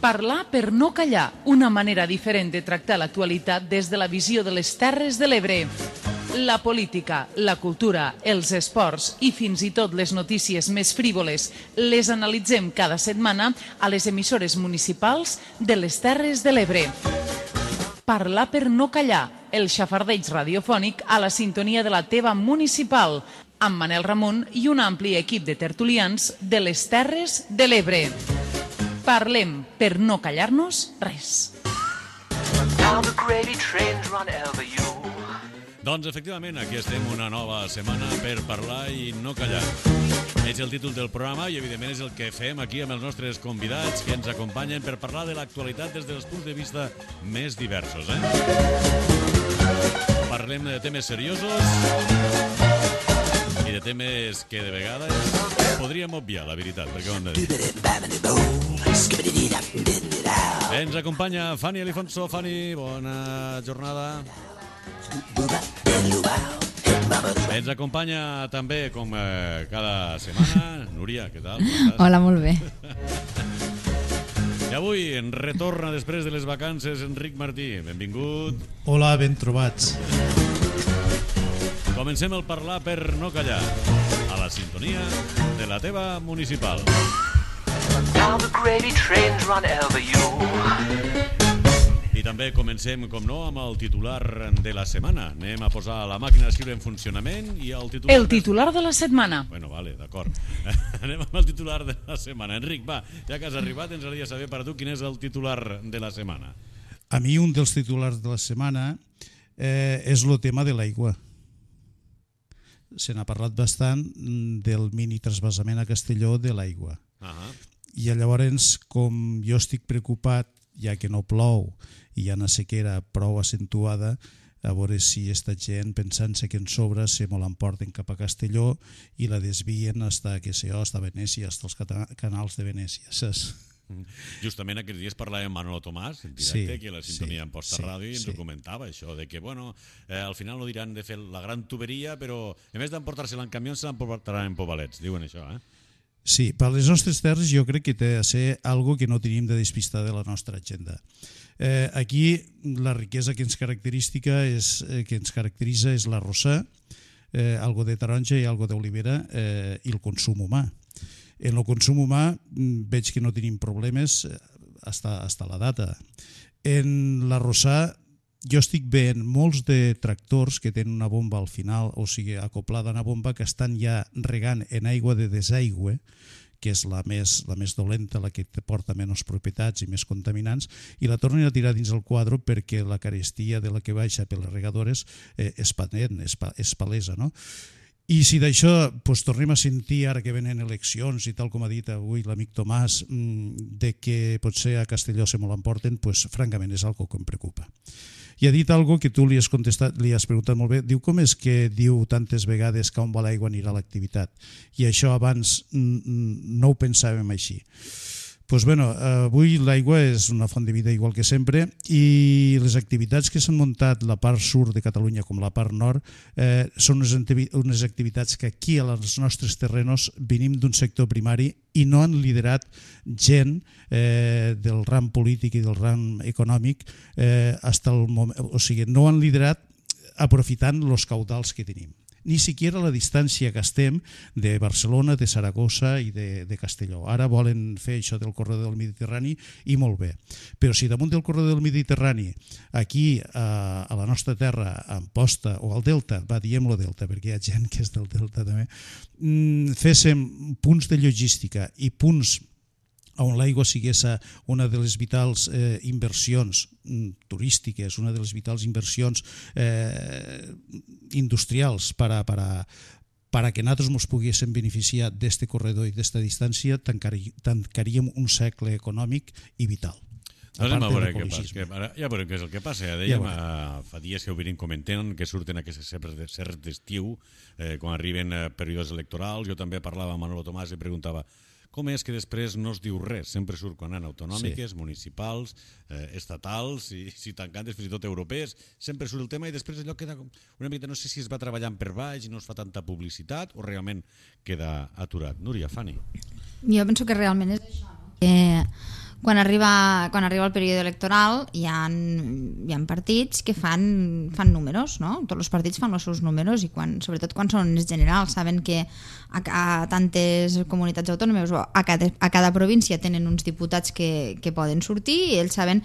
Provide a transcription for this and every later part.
Parlar per no callar, una manera diferent de tractar l'actualitat des de la visió de les Terres de l'Ebre. La política, la cultura, els esports i fins i tot les notícies més frívoles les analitzem cada setmana a les emissores municipals de les Terres de l'Ebre. Parlar per no callar, el xafardeig radiofònic a la sintonia de la teva municipal, amb Manel Ramon i un ampli equip de tertulians de les Terres de l'Ebre. Parlem per no callar-nos res. Doncs efectivament, aquí estem una nova setmana per parlar i no callar. És el títol del programa i evidentment és el que fem aquí amb els nostres convidats que ens acompanyen per parlar de l'actualitat des dels punts de vista més diversos. Parlem de temes seriosos i de temes que de vegades podríem obviar, la veritat, perquè ho hem de dir. Ens acompanya Fanny Alifonso. Fanny, bona jornada. Ens acompanya també, com cada setmana, Núria, què tal? Hola, molt bé. I avui en retorna després de les vacances Enric Martí. Benvingut. Hola, ben trobats. Comencem el parlar per no callar, a la sintonia de la teva municipal. I també comencem, com no, amb el titular de la setmana. Anem a posar la màquina d'escriure en funcionament i el titular... El titular de la setmana. Bueno, vale, d'acord. Anem amb el titular de la setmana. Enric, va, ja que has arribat, ens agradaria saber per a tu quin és el titular de la setmana. A mi un dels titulars de la setmana és el tema de l'aigua. Se n'ha parlat bastant del mini trasbassament a Castelló de l'aigua. I llavors, com jo estic preocupat, ja que no plou i hi ha una sequera prou acentuada, a veure si esta gent, pensant-se que en sobra, se me l'emporten cap a Castelló i la desvien hasta Venècia, hasta els canals de Venècia, saps? Justament aquests dies parlàvem amb Manolo Tomàs, en directe, que a la sintonia en Posta Ràdio, i ens ho comentava, això, de que, bueno, al final no diran de fer la gran tuberia, però en vez d'emportar-se-la en camions, se l'emportaran en pobalets, diuen això, Sí, per les nostres terres jo crec que té de ser algo que no tenim de despistar de la nostra agenda. Aquí la riquesa que ens caracteritza és l'arrossar, algo de taronja i algo d'olivera i el consum humà. En el consum humà veig que no tenim problemes hasta la data. En l'arrossar jo estic veient molts de tractors que tenen una bomba al final, o sigui, acoplada a una bomba, que estan ja regant en aigua de desaigüe, que és la més dolenta, la que porta menys propietats i més contaminants, i la tornen a tirar dins el quadre perquè la carestia de la que baixa per les regadores és patent, és palesa, no? I si d'això tornem a sentir, ara que venen eleccions i tal com ha dit avui l'amic Tomàs, de que potser a Castelló se me l'emporten, francament és algo que em preocupa. I ha dit algo que tu li has contestat, li has preguntat molt bé. Diu, com és que diu tantes vegades que on va l'aigua anirà l'activitat? I això abans no ho pensàvem així. Doncs bé, avui l'aigua és una font de vida igual que sempre i les activitats que s'han muntat la part sud de Catalunya com la part nord són unes activitats que aquí als nostres terrenos venim d'un sector primari i no han liderat gent del ram polític i del ram econòmic fins al moment, o sigui, no han liderat aprofitant els caudals que tenim. Ni siquiera la distància que estem de Barcelona, de Saragossa i de Castelló. Ara volen fer això del corredor del Mediterrani i molt bé. Però si damunt del corredor del Mediterrani, aquí a la nostra terra, a Amposta o al Delta, diguem-lo Delta perquè hi ha gent que és del Delta també, féssim punts de logística i punts on l'aigua sigués una de les vitals inversions turístiques, una de les vitals inversions industrials per a que nosaltres ens poguéssim beneficiar d'aquest corredor i d'aquesta distància, tancaríem un segle econòmic i vital. Anem a veure què passa. Ja veurem què és el que passa. Ja dèiem, fa dies que ho venim comentant, que surten aquestes serres d'estiu, quan arriben períodes electorals. Jo també parlava amb Manolo Tomàs i preguntava com és que després no es diu res? Sempre surt quan han autonòmiques, municipals, estatals, i si tancantes fins i tot europees, sempre surt el tema i després allò queda una mica, no sé si es va treballant per baix i no es fa tanta publicitat o realment queda aturat. Núria, Fanny. Jo penso que realment és això, no? quan arriba el període electoral hi ha partits que fan números, no? Tots els partits fan els seus números i sobretot quan són els generals saben que a tantes comunitats autònomes o a cada província tenen uns diputats que poden sortir i ells saben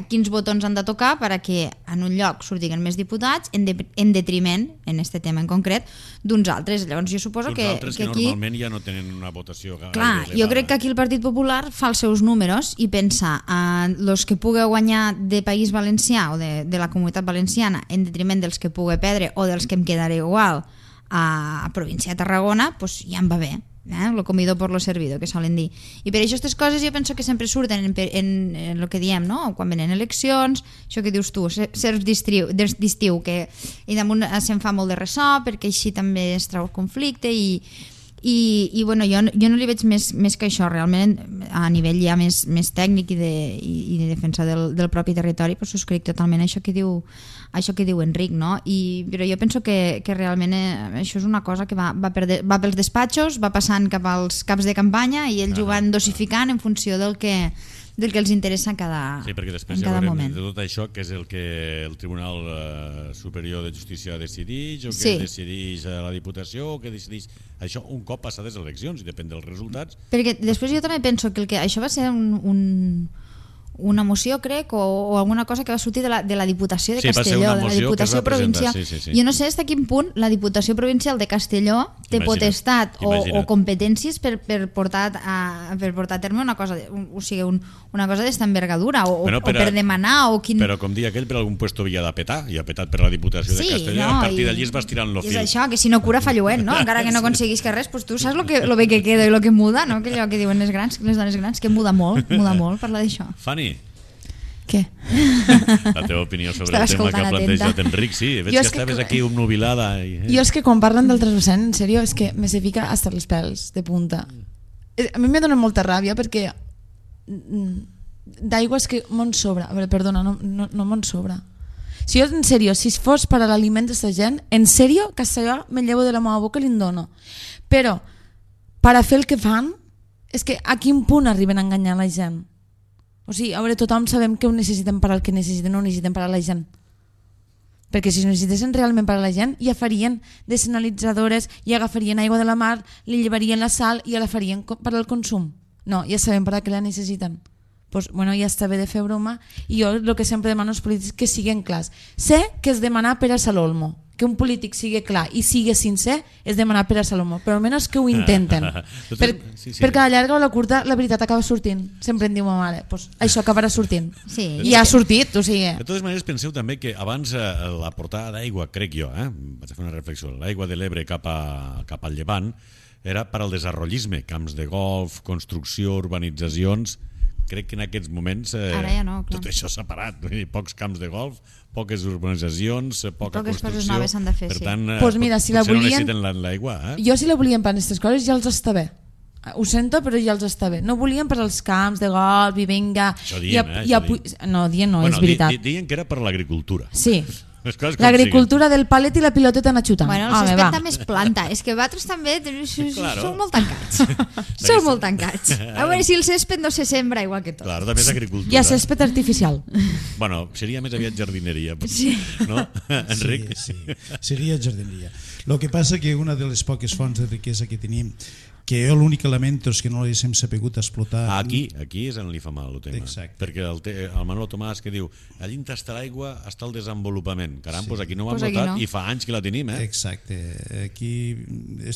quins botons han de tocar perquè en un lloc sortiguen més diputats en detriment, en aquest tema en concret, d'uns altres. Llavors jo suposo que aquí... normalment ja no tenen una votació gaire elevada. Jo crec que aquí el Partit Popular fa els seus números i pensa els que pugui guanyar de País Valencià o de la Comunitat Valenciana en detriment dels que pugui perdre o dels que em quedaré igual a província de Tarragona, doncs ja em va bé. Lo comido por lo servido, que solen dir. I per això aquestes coses jo penso que sempre surten en el que diem, no? Quan venen eleccions, això que dius tu, certs d'estiu, que i damunt se'n fa molt de ressò perquè així també es trau el conflicte i bueno, jo no li veig més que això realment a nivell ja més tècnic i de defensa del propi territori, però subscric totalment això que diu Enric, no? Però jo penso que realment això és una cosa que va pels despatxos, va passant cap als caps de campanya i ells ho van dosificant en funció del que els interessa en cada moment. Sí, perquè després ja veurem de tot això que és el que el Tribunal Superior de Justícia decideix o que decideix la Diputació o que decideix això un cop passades les eleccions i depèn dels resultats. Perquè després jo també penso que això va ser una moció, crec, o alguna cosa que va sortir de la Diputació de Castelló, de la Diputació Provincial. Jo no sé fins a quin punt la Diputació Provincial de Castelló té potestat o competències per portar a terme una cosa, o sigui, una cosa d'esta envergadura o per demanar o quin... Però com dia aquell, per algun puesto havia de petar i ha petat per la Diputació de Castelló, a partir d'allí es va estirant el fil. És això, que si no cura fa lluent, no? Encara que no aconseguís que res, doncs tu saps lo bé que queda i lo que muda, no? Que allò que diuen les dones grans, que muda molt parlar d'això. Fanny, què? la teva opinió sobre el tema que ha plantejat Enric, sí, veig que estaves aquí obnubilada. Jo és que quan parlen del 3%, en sèrio, és que me se fica hasta els pèls de punta. A mi me dona molta ràbia perquè d'aigua és que m'on sobra. A veure, perdona, no m'on sobra. Si jo, en sèrio, si fos per a l'aliment d'aquesta gent, en sèrio, Castelló me llevo de la meva boca i li dono. Però, per a fer el que fan, és que a quin punt arriben a enganyar la gent? O sigui, a veure, tothom sabem que ho necessitem per al que necessitem, no ho necessitem per a la gent. Perquè si ho necessitessin realment per a la gent, ja farien desalinitzadores, ja agafarien aigua de la mar, li llevarien la sal i ja la farien per al consum. No, ja sabem per a què la necessiten. Pues, bueno, ja està bé de fer broma i jo el que sempre demano als polítics que siguin clars. Sé que és demanar per a Salolmo, que un polític sigui clar i sigui sincer és demanar per a Salomó, però almenys que ho intenten. Perquè a la llarga o a la curta la veritat acaba sortint. Sempre em diu ma mare, pues, això acabarà sortint. I ha sortit, o sigui... De totes maneres, penseu també que abans la portada d'aigua, crec jo, vaig a fer una reflexió, l'aigua de l'Ebre cap al Llevant era per al desenvolupisme, camps de golf, construcció, urbanitzacions... Crec que en aquests moments tot això s'ha parat. Pocs camps de golf, poques urbanitzacions, poca construcció. Poques coses noves s'han de fer, per tant, pues mira, si potser no necessiten l'aigua. Jo si la volien per aquestes coses ja els està bé. Ho sento, però ja els està bé. No volien per als camps de golf i vinga... Això diem, No, dient no, és veritat. Diuen que era per l'agricultura. Sí. L'agricultura del palet i la piloteta anar xutant. Bueno, el césped també es planta. És que vosaltres també sou molt tancats. Sou molt tancats. A veure si el césped no se sembra igual que tot. Claro, també és agricultura. Hi ha césped artificial. Bueno, seria més aviat jardineria. Sí. No, Enric? Sí, seria jardineria. El que passa que una de les poques fonts de riquesa que tenim, que jo l'únic lamento és que no l'haguéssim sapigut explotar... Aquí és on li fa mal el tema. Exacte. Perquè el Manolo Tomàs que diu allí on està l'aigua està el desenvolupament. Caram, doncs aquí no ho hem Pues notat no. i fa anys que la tenim, Exacte. Aquí...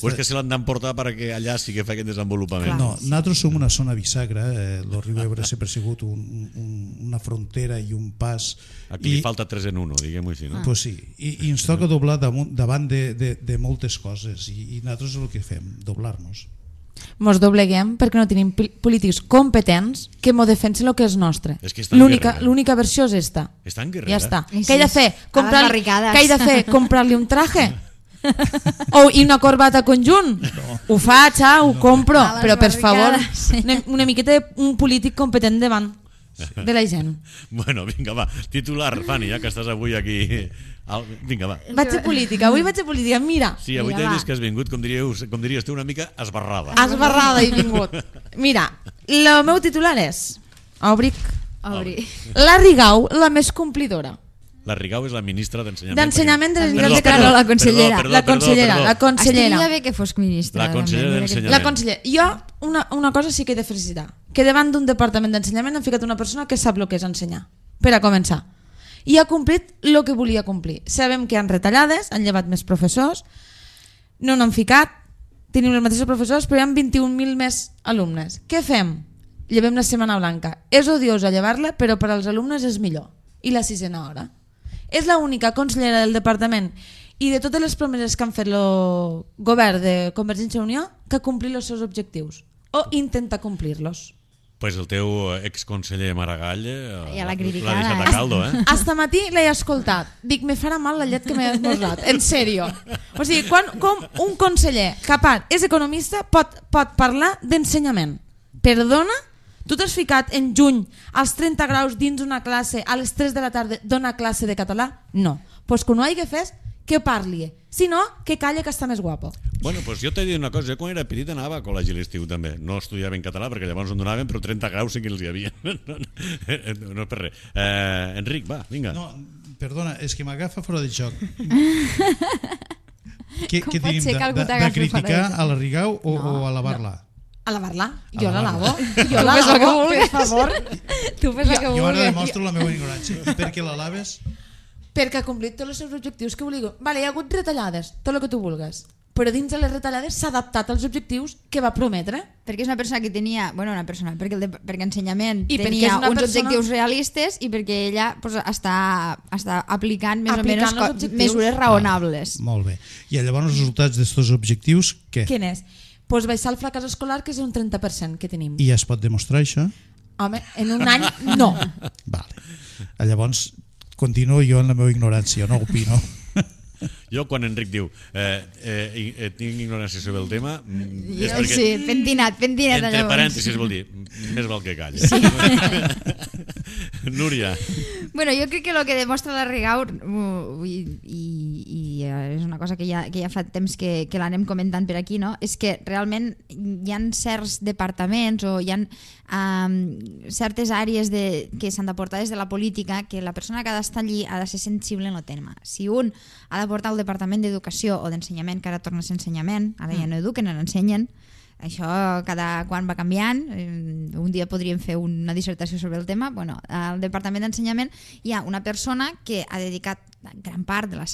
O és que se l'han d'emportar perquè allà sí que fa aquest desenvolupament. No, nosaltres som una zona bisagra, el riu Ebre sempre ha sigut una frontera i un pas... Aquí li falta 3 en 1, diguem-ho així, no? Pues sí, i ens toca doblar davant de moltes coses i nosaltres és el que fem, doblar-nos. Mos dobleguem perquè no tenim polítics competents que m'ho defensen el que és nostre. És que està en guerra. L'única versió és esta. Està en guerra. Ja està. Sí, Què he de fer? barricades. Què he de fer? Comprar-li un traje? I una corbata conjunt? No. Ho faig, ho compro, però per favor, una miqueta d'un polític competent davant de la gent. Bueno, vinga, va, titular, Fanny, ja que estàs avui aquí... Vinga, va. Vaig a política, avui vaig a política, mira. Sí, avui t'he vist que has vingut, com diries tu, una mica esbarrada. Esbarrada he vingut. Mira, el meu titular és Òbric. La Rigau, la més complidora. La Rigau és la ministra d'Ensenyament. D'Ensenyament de la Generalitat de Catalunya. La consellera. La consellera. Estaria bé que fos ministra. La consellera d'Ensenyament. La consellera. Jo una cosa sí que he de felicitar. Que davant d'un departament d'ensenyament han ficat una persona que sap el que és ensenyar. Per a començar. I ha complit el que volia complir. Sabem que han retallades, han llevat més professors, no n'han ficat, tenim els mateixos professors, però hi ha 21.000 més alumnes. Què fem? Llevem la Setmana Blanca. És odiosa llevar-la, però per als alumnes és millor. I la 6a hora. És l'única consellera del departament i de totes les promeses que han fet el govern de Convergència i Unió que ha complit els seus objectius o intenta complir-los. Pues el teu exconseller Maragall ja l'ha deixat a caldo, Hasta matí l'he escoltat. Dic, me farà mal la llet que m'he esmorzat. En sèrio. O sigui, com un conseller capaç, és economista, pot parlar d'ensenyament. Perdona? Tu t'has ficat en juny als 30 graus dins una classe a les 3 de la tarda d'una classe de català? No. Pues quan ho hagi fet, que parli. Si no, que calla que està més guapo. Bueno, pues jo t'he dit una cosa. Jo quan era petit anava a col·legi l'estiu també. No estudiava en català perquè llavors en donaven, però 30 graus sí que els hi havia. No per res. Enric, va, vinga. No, perdona, és que m'agafa fora de joc. Què tenim de criticar a la Rigau o a alabar-la? A lavar-la? Jo la lavo. Jo la lavo, per favor. Tu fes el que vulguis. Jo ara demostro la meva ignorància. I per què la laves? Perquè ha complit tots els seus objectius que volia. Vale, hi ha hagut retallades, tot el que tu vulgues. Però dins de les retallades s'ha adaptat als objectius que va prometre. Perquè és una persona que tenia... Bueno, una persona, perquè ensenyament tenia uns objectius realistes i perquè ella pues, està aplicant més o menys mesures raonables. Molt bé. I llavors els resultats d'aquests objectius, què? Quin és? Pues baixar el fracàs escolar, que és un 30% que tenim. I ja es pot demostrar això? Home, en un any no. Vale. Llavors continuo jo en la meva ignorància, no opino. Jo quan Enric diu tinc ignorància sobre el tema és perquè, sí, pentinat entre parèntesis vol dir més val que calla. Sí. Núria. Bueno, jo crec que el que demostra la Rigau i és una cosa que ja fa temps que l'anem comentant per aquí, no? És que realment hi ha certs departaments o hi ha certes àrees que s'han de portar des de la política que la persona que ha d'estar allí ha de ser sensible en el tema. Si un ha de portar el departament d'educació o d'ensenyament, que ara torna a ser ensenyament, ara ja no eduquen, ara ensenyen, això cada quan va canviant, un dia podríem fer una dissertació sobre el tema. Bueno, al departament d'ensenyament hi ha una persona que ha dedicat gran part de la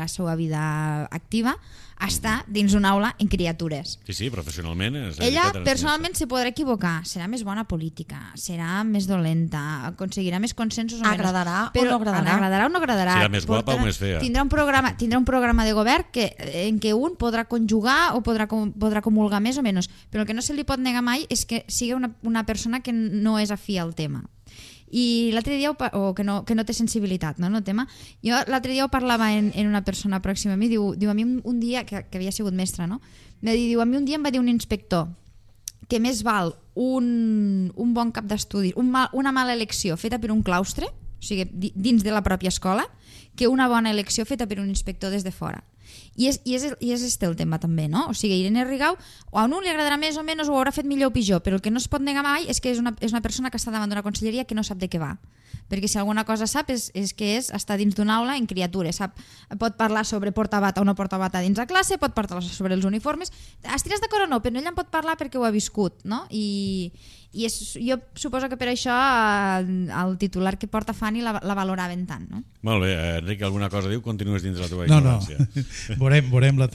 seva vida activa a estar dins d'una aula en criatures. Sí, professionalment. Ella personalment se podrà equivocar, serà més bona política, serà més dolenta, aconseguirà més consensos o menys. Agradarà o no agradarà. Agradarà o no agradarà. Serà més guapa o més fea. Tindrà un programa de govern en què un podrà conjugar o podrà comulgar més o menys, però el que no se li pot negar mai és que sigui una persona que no és afí al tema. I l'altre dia, o que no té sensibilitat, no, el tema. Jo l'altre dia ho parlava en una persona pròxima a mi, diu a mi un dia, que havia sigut mestra, no? Diu, a mi un dia em va dir un inspector que més val un bon cap d'estudi, una mala elecció feta per un claustre, o sigui, dins de la pròpia escola, que una bona elecció feta per un inspector des de fora. I és este el tema també, no? O sigui, Irene Rigau a un li agradarà més o menys o ho haurà fet millor o pitjor, però el que no es pot negar mai és que és una persona que està davant d'una conselleria que no sap de què va, perquè si alguna cosa sap és que està dins d'una aula en criatures, pot parlar sobre portar bata o no portar bata dins la classe, pot parlar sobre els uniformes, estaràs d'acord o no, però ella en pot parlar perquè ho ha viscut, no? I jo suposo que per això el titular que porta Fanny la valoraven tant, no? Molt bé, Enric, alguna cosa diu? Continues dins de la teva ignorància. No. Veurem la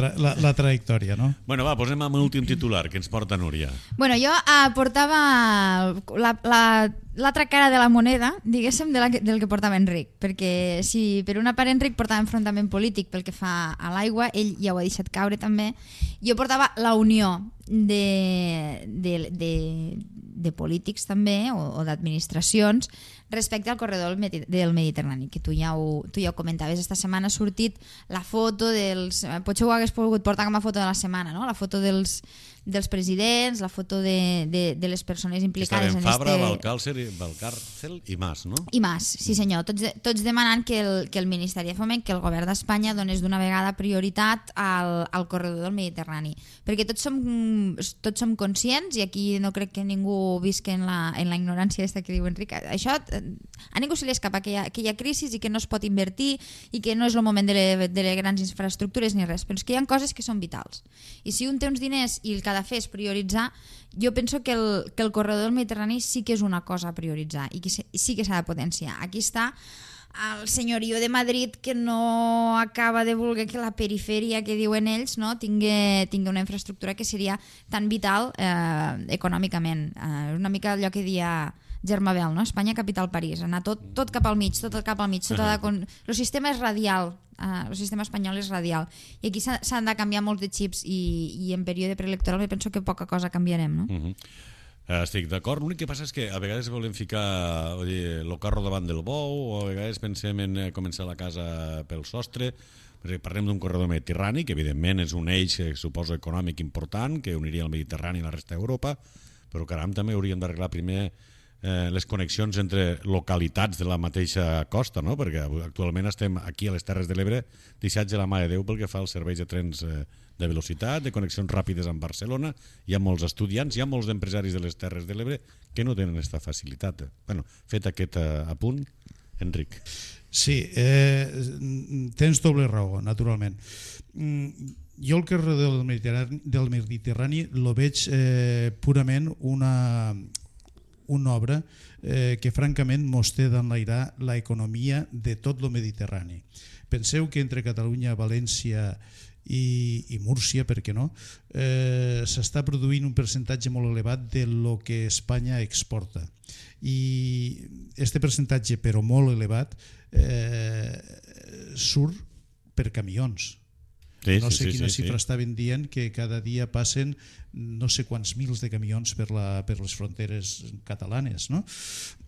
trajectòria, no? Bueno, va, posem amb l'últim titular que ens porta Núria. Bueno, jo portava l'altra cara de la moneda, diguéssim, del que portava Enric, perquè si per una part Enric portava enfrontament polític pel que fa a l'aigua, ell ja ho ha deixat caure també, jo portava la unió de polítics també o d'administracions respecte al corredor del Mediterrani, que tu ja ho comentaves. Esta setmana ha sortit la foto dels... Potser ho hagués pogut portar com a foto de la setmana, no? La foto dels dels presidents, la foto de les persones implicades en Fabra, Valcárcel i Mas, no? I Mas, sí senyor, tots demanant que el Ministeri de Foment, que el govern d'Espanya donés d'una vegada prioritat al corredor del Mediterrani, perquè tots som conscients, i aquí no crec que ningú visqui en la ignorància aquesta que diu Enric, això a ningú se li escapa que hi ha crisi i que no es pot invertir i que no és el moment de les grans infraestructures ni res, però és que hi ha coses que són vitals, i si un té uns diners i el que ha de fer és prioritzar, jo penso que el corredor del Mediterrani sí que és una cosa a prioritzar i que sí que s'ha de potenciar. Aquí està el senyorio de Madrid, que no acaba de voler que la perifèria, que diuen ells, no, tingui una infraestructura que seria tan vital econòmicament. Una mica allò que dia Germabel, no? Espanya, capital, París, anar tot cap al mig, el sistema és radial, el sistema espanyol és radial, i aquí s'han de canviar molts de xips, i en període preelectoral penso que poca cosa canviarem, no? Estic d'acord, l'únic que passa és que a vegades volem ficar el carro davant del bou, o a vegades pensem en començar la casa pel sostre, perquè parlem d'un corredor mediterrani, que evidentment és un eix, suposo, econòmic important, que uniria el Mediterrani i la resta d'Europa, però caram, també hauríem d'arreglar primer les connexions entre localitats de la mateixa costa, no? Perquè actualment estem aquí a les Terres de l'Ebre deixats de la mà de Déu pel que fa als serveis de trens de velocitat, de connexions ràpides amb Barcelona. Hi ha molts estudiants, hi ha molts empresaris de les Terres de l'Ebre que no tenen aquesta facilitat. Bueno, fet aquest apunt, Enric. Sí, tens doble raó, naturalment. Jo el corredor del Mediterrani lo veig purament una obra que francament mos té d'enlairar l'economia de tot el Mediterrani. Penseu que entre Catalunya, València i Múrcia, per què no, s'està produint un percentatge molt elevat de lo que Espanya exporta, i este percentatge, però molt elevat, surt per camions. No sé quina xifra estaven dient, que cada dia passen no sé quants mils de camions per les fronteres catalanes, no?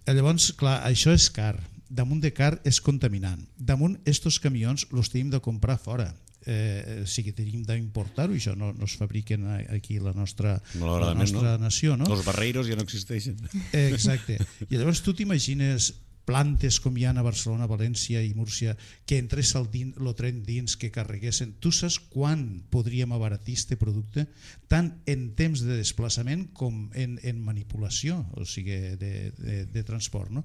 Llavors, clar, això és car. Damunt de car és contaminant. Damunt, estos camions els tenim de comprar fora. Sí que tenim d'importar-ho, això no es fabriquen aquí a la nostra nació, no? Els barreiros ja no existeixen. Exacte. I llavors tu t'imagines plantes com hi ha a Barcelona, València i Múrcia, que entrés el tren dins, que carreguessin. Tu saps quan podríem abaratir este producte? Tant en temps de desplaçament com en manipulació, o sigui, de transport, no?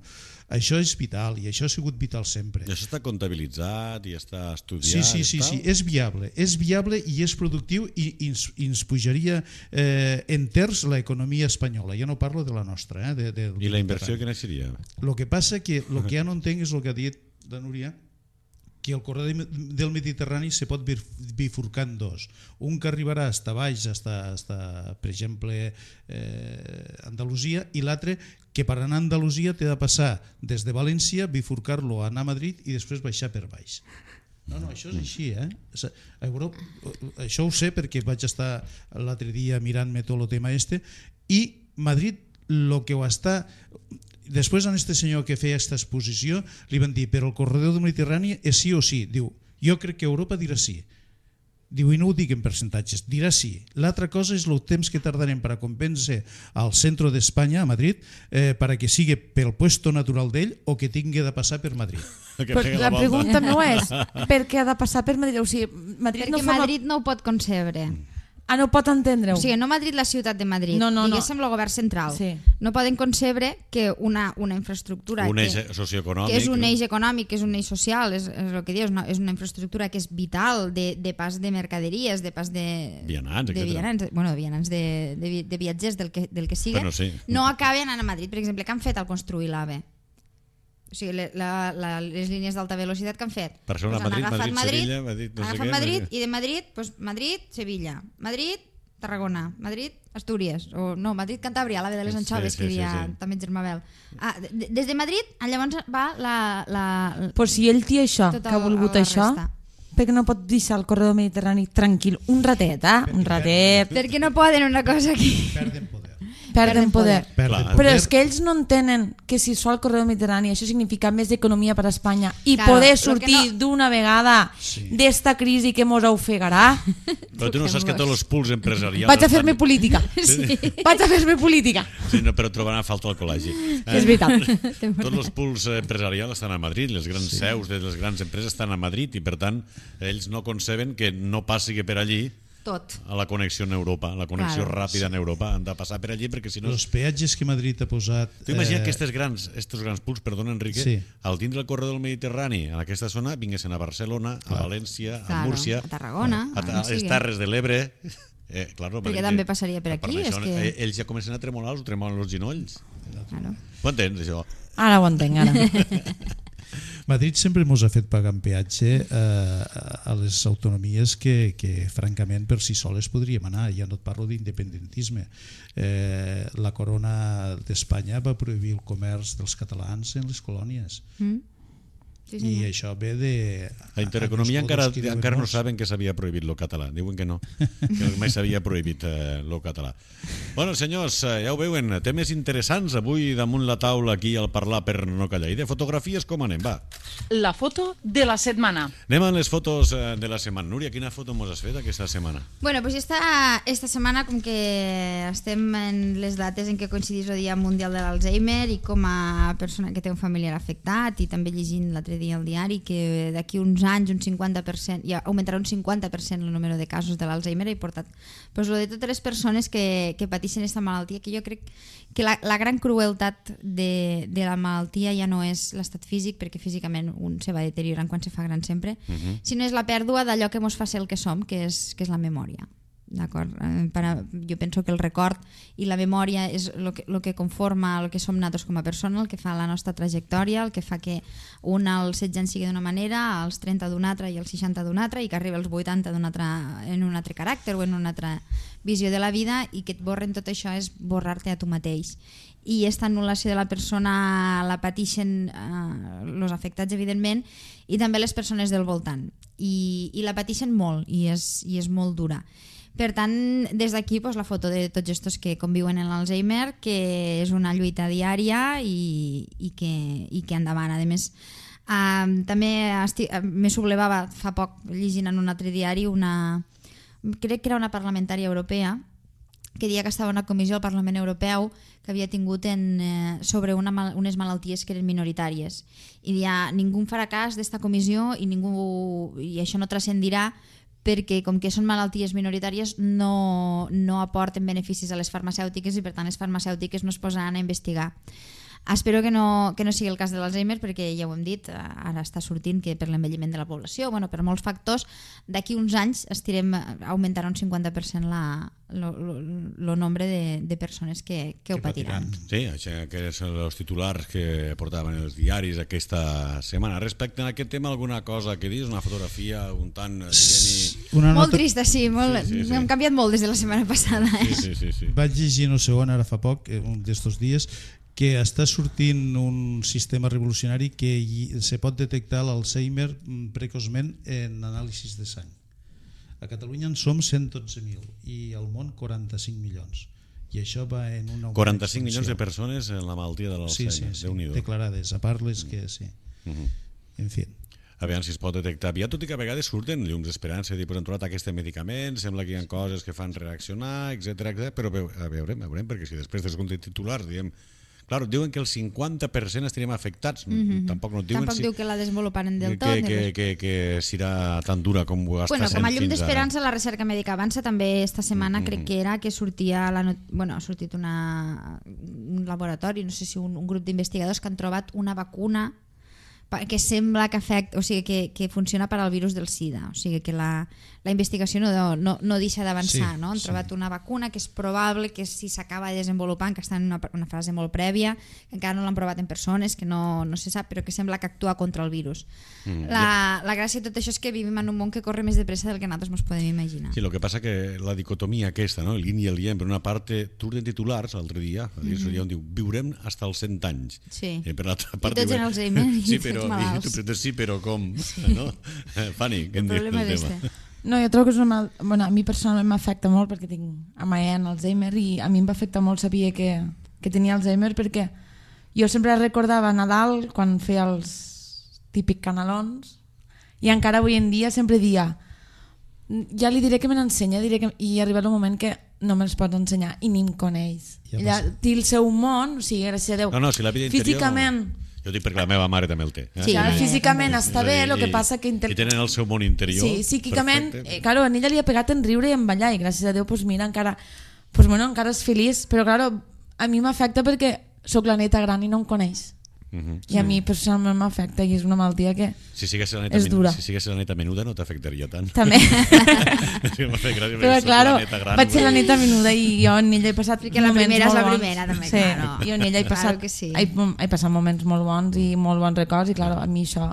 Això és vital, i això ha sigut vital sempre. I això està comptabilitzat i està estudiat? Sí, és viable i és productiu, i ens pujaria en terç l'economia espanyola. Jo no parlo de la nostra. I la inversió quina seria? El que passa que el que ja no entenc és el que ha dit la Núria, que el corredor del Mediterrani se pot bifurcar en dos. Un que arribarà fins baix, per exemple, Andalusia, i l'altre que per anar a Andalusia té de passar des de València, bifurcar-lo, anar a Madrid i després baixar per baix. No, això és així, Això ho sé perquè vaig estar l'altre dia mirant-me tot el tema i Madrid el que ho està... Després a este senyor que feia aquesta exposició li van dir, però el corredor del Mediterrani és sí o sí. Diu, jo crec que Europa dirà sí. Diu, i no ho dic en percentatges, dirà sí. L'altra cosa és el temps que tardarem per a convèncer al centre d'Espanya, a Madrid, perquè sigui pel puesto natural d'ell o que tingui de passar per Madrid. La pregunta no és per què ha de passar per Madrid. O sigui, Madrid no ho pot concebre. No pot entendre-ho. O sigui, no Madrid, la ciutat de Madrid, diguéssim el govern central. No poden concebre que una infraestructura un eix socioeconòmic, que és un eix econòmic, que és un eix social, és el que dius, és una infraestructura que és vital de pas de mercaderies, de pas de vianants, de viatgers, del que sigui, no acaben anant a Madrid. Per exemple, què han fet al construir l'AVE? O sigui, les línies d'alta velocitat que han fet, Barcelona, Madrid, Madrid, i de Madrid, Madrid, Sevilla, Madrid, Tarragona, Madrid, Astúries, o no, Madrid, Cantàbria, l'AVE de les Anxoves, que diria també Germabel. Des de Madrid, llavors va la... Però si ell té això, que ha volgut això, perquè no pot deixar el corredor mediterrani tranquil un ratet, un ratet? Perquè no poden una cosa aquí. Perden poder. perden poder. Però és poder. que ells no entenen que si es fa el corredor mediterrani això significa més economia per a Espanya i Claro, poder lo que sortir no- d'una vegada d'esta crisi que mos ofegarà. Però tu no saps que tots els pools empresarials... Vaig a fer-me política. Vaig a fer-me política. Sí, no, però trobaran a falta al col·legi. És veritat. Tots els pools empresarials estan a Madrid, les grans seus de les grans empreses estan a Madrid i, per tant, ells no conceben que no passi per allí Tot. a la connexió en Europa, la connexió Claro. ràpida en Europa. Han de passar per allí perquè si no... Els peatges que Madrid ha posat... Tu imagina que estos grans pools, perdona Enrique, Sí. al tindre el corredor del Mediterrani en aquesta zona, vinguessin a Barcelona, a València, a Claro, Múrcia, a Tarragona, a on les sigui. Terres de l'Ebre... Claro, Perquè també passaria per aquí, això, és que- ells ja comencen a tremolar, els tremolen els ginolls. Claro. Ho entens, això? Ara ho entenc, ara. Madrid sempre ens ha fet pagar en peatge a les autonomies que francament per si soles podríem anar. Ja no et parlo d'independentisme. La corona d'Espanya va prohibir el comerç dels catalans en les colònies. Sí, I senyor. això ve de... A Intereconomia Agnus encara Codos, que diuen no molts. saben que s'havia prohibit lo català. Diuen que no, que mai s'havia prohibit lo català. Bueno, senyors, ja ho veuen, temes interessants avui damunt la taula aquí al Parlar per no callar. I de fotografies com anem? Va. La foto de la setmana. Anem a les fotos de la setmana. Núria, quina foto mos has fet aquesta setmana? Bueno, pues esta setmana, com que estem en les dates en què coincidís el Dia Mundial de l'Alzheimer i com a persona que té un familiar afectat i també llegint l'altre dia al diari que d'aquí uns anys un 50% ja augmentarà un 50% el número de casos de l'Alzheimer i portat pues, lo de totes les persones que pateixen aquesta malaltia, que jo crec que la gran crueltat de la malaltia ja no és l'estat físic, perquè físicament un se va deteriorant quan se fa gran sempre, sinó és la pèrdua d'allò que mos fa ser el que som, que és la memòria. D'acord? Jo penso que el record i la memòria és el que conforma el que som nosaltres com a persona, el que fa la nostra trajectòria, el que fa que un als 16 anys sigui d'una manera, als 30 d'una altra i als 60 d'una altra, i que arribi als 80 en un altre caràcter o en una altra visió de la vida, i que et borren tot això és borrar-te a tu mateix. I aquesta anul·lació de la persona la pateixen els afectats, evidentment, i també les persones del voltant. I la pateixen molt, i és molt dura. Per tant, des d'aquí pues, la foto de tots estos que conviuen en l'Alzheimer, que és una lluita diària i que endavant. A més, també me sublevava fa poc llegint en un altre diari crec que era una parlamentària europea que deia que estava una comissió al Parlament Europeu que havia tingut sobre unes malalties que eren minoritàries. I deia, ningú farà cas d'esta comissió i això no transcendirà perquè com que són malalties minoritàries no aporten beneficis a les farmacèutiques i per tant les farmacèutiques no es posaran a investigar. Espero que no sigui el cas de l'Alzheimer, perquè ja ho hem dit, ara està sortint que per l'envelliment de la població, per molts factors, d'aquí uns anys augmentarà un 50% el nombre de persones que ho patiran. Sí, això que són els titulars que portaven els diaris aquesta setmana. Respecte a aquest tema, alguna cosa que dius? Una fotografia un tant... Molt trista, sí. Hem canviat molt des de la setmana passada. Sí. Vaig llegir no sé on, ara fa poc, un d'estos dies, que està sortint un sistema revolucionari que se pot detectar l'Alzheimer precoçment en anàlisis de sang. A Catalunya en som 112.000 i al món 45 milions. I això va en una... 45 milions de persones en la malaltia de l'Alzheimer. Sí, declarades, a part les que sí. En fi. A veure si es pot detectar aviat, tot i que a vegades surten llums d'esperança, dir, hem trobat aquest medicament, sembla que hi ha coses que fan reaccionar, etc. Però veurem, perquè si després dels titulars diem... Clar, diuen que el 50% estarem afectats. Tampoc no diuen... Tampoc diu que la desenvoluparen del tot. Que serà tan dura com ho està sent fins ara. Com a llum d'esperança, la recerca mèdica avança. També esta setmana crec que era que sortia... ha sortit un laboratori, no sé si un grup d'investigadors que han trobat una vacuna que sembla que afecta, o sigui, que funciona per al virus del SIDA, o sigui que la investigació no deixa d'avançar, no? Han trobat una vacuna que és probable que si s'acaba desenvolupant, que està en una fase molt prèvia, que encara no l'han provat en persones, que no se sap, però que sembla que actua contra el virus. La gràcia de tot això és que vivim en un món que corre més de pressa del que nosaltres ens podem imaginar. Sí, el que passa que la dicotomia aquesta, no? El yin i el yang, per una part surten titulars l'altre dia, on diu viurem hasta els 100 anys. Sí. I per l'altra part I tots en Alzheimer i però com? No? Fanny, què en dius del tema? No, jo trobo que és una a mi personalment m'afecta molt perquè tinc a Maen Alzheimer i a mi em va afectar molt saber que tenia Alzheimer perquè jo sempre recordava Nadal quan feia els típics canalons i encara avui en dia sempre dia ja li diré que me n'ensenya i ha arribat un moment que no me'ls pot ensenyar i ni em coneix. Ella té el seu món, o sigui, gràcies a Déu. No, si la vida interior... Físicament... Jo dic perquè la meva mare també el té. Sí, físicament està bé, el que passa que... I tenen el seu món interior. Sí, psíquicament, claro, a ella li ha pegat en riure i en ballar i gràcies a Déu, pues mira, encara és feliç, però claro, a mi m'afecta perquè sóc la neta gran i no em coneix. I a mi personalment m'afecta i és una malaltia que és dura. Si sigues la neta menuda no t'afectaria tant. També. Però claro, vaig ser la neta menuda i jo en ella he passat perquè la primera és la primera també, sí, claro. Jo en ella he passat moments molt bons i molt bons records i claro, a mi això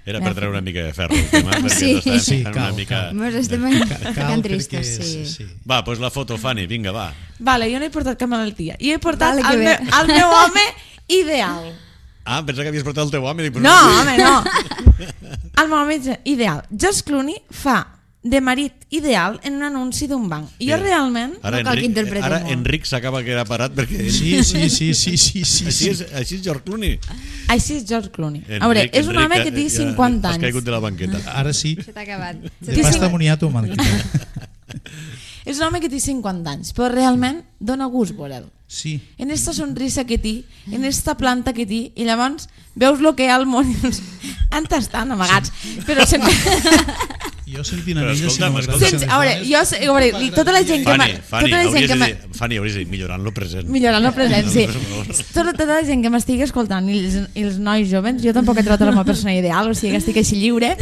era per treure una mica de ferro el tema, perquè sí, una mica... Estem ficant tristos, sí. Va, doncs la foto, Fanny, vinga, va. Vale, jo no he portat cap malaltia. Jo he portat el meu home ideal. Ah, pensa que havies portat el teu home. No, home, no. El meu home ideal. George Clooney fa de marit ideal en un anunci d'un banc. I jo realment... Ara Enric s'acaba de quedar parat perquè... Sí. Així és George Clooney. Així és George Clooney. A veure, és un home que té 50 anys. Has caigut de la banqueta. Ara sí. Se t'ha acabat. De pasta moniato, banqueta. És un home que té 50 anys, però realment dona gust veure-lo. Sí. En esta sonrisa que té, en esta planta que té, i llavors veus el que hi ha al món i dius, on estan amagats? Però sempre... Jo sentint a ella... A veure, tota la gent que... Fanny, hauries de dir, millorant lo present. Millorant lo present, sí. Tota la gent que m'estigui escoltant i els nois jovens, jo tampoc he trobat la meva persona ideal, o sigui que estic així lliure,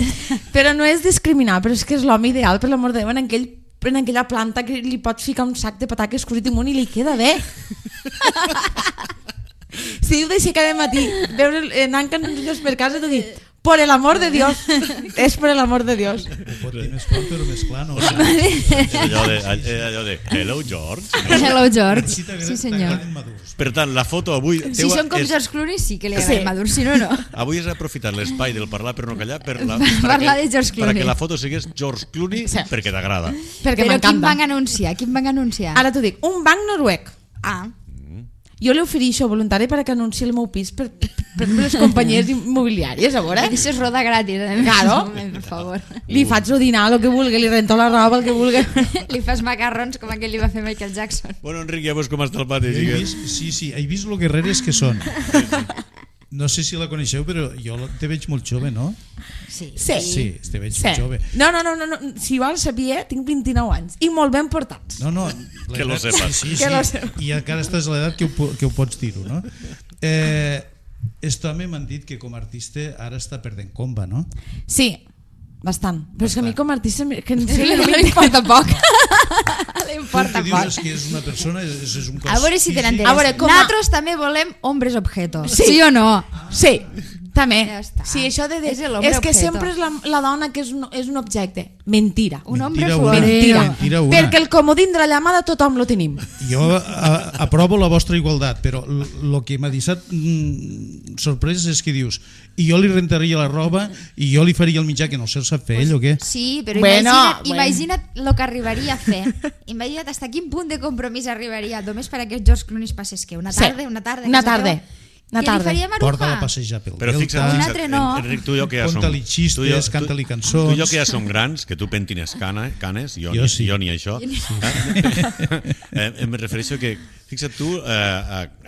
però no és discriminar, però és que és l'home ideal, per l'amor de Déu, en aquella planta que li pots ficar un sac de pataques cruit imunt i li queda bé. Si diu d'aixecar de matí, anant canellos per casa, t'ho dic, por el amor de Dios, és por el amor de Dios. Pot dir més fort però més clar, no? És allò de hello George. Hello George, sí senyor. Per tant, la foto avui... Si són com George Clooney sí que li agraden madurs, si no, no. Avui has aprofitat l'espai del parlar per no callar per parlar de George Clooney. Perquè la foto sigués George Clooney perquè t'agrada. Però quin banc anuncia? Ara t'ho dic, un banc noruec. Ah. Jo li ofereixo voluntari perquè anunciï el meu pis per les companyies immobiliàries, a veure. Això és roda gratis, claro. Per favor. Li faig el dinar, el que vulgui, li rento la roba, el que vulgui. Li fas macarrons com aquell li va fer Michael Jackson. Bueno, Enric, ja veus com està el pati. Sí, he vist lo guerreres que són. No sé si la coneixeu, però jo te veig molt jove, no? Sí, te veig molt jove. No, si vols saber, tinc 29 anys i molt ben portats. No, que lo sepas. Sí, i encara estàs a l'edat que ho pots dir-ho, no? Esto m'han dit que com a artista ara està perdent comba, no? Sí, bastant. Però és que a mi com a artista que no m'importa poc. L'importa poc. Dius que és una persona, és un cos. A veure si te n'entens. Nosaltres també volem hombres objetos. Sí o no? Sí, també. Ja està. Sí, això de és que sempre és la dona que és un objecte. Mentira. Un hombre Mentira. Perquè el comodín de la llamada tothom lo tenim. Jo aprovo la vostra igualtat, però el que m'ha deixat sorprès és que dius i jo li rentaria la roba i jo li faria el mitjà que no sé, el sap fer ell o què? Sí, però imagina't el que arribaria a fer. Imagina't hasta quin punt de compromís arribaria només per a que George Clooney es passés que una tarda. Què li faria Maruja? Porta-la a passejar pel Però fixa't, Enric, tu i jo que ja som... Conta-li xistes, canta-li cançons... Tu i jo que ja som grans, que tu pentines canes, jo ni això. Em refereixo que, fixa't tu,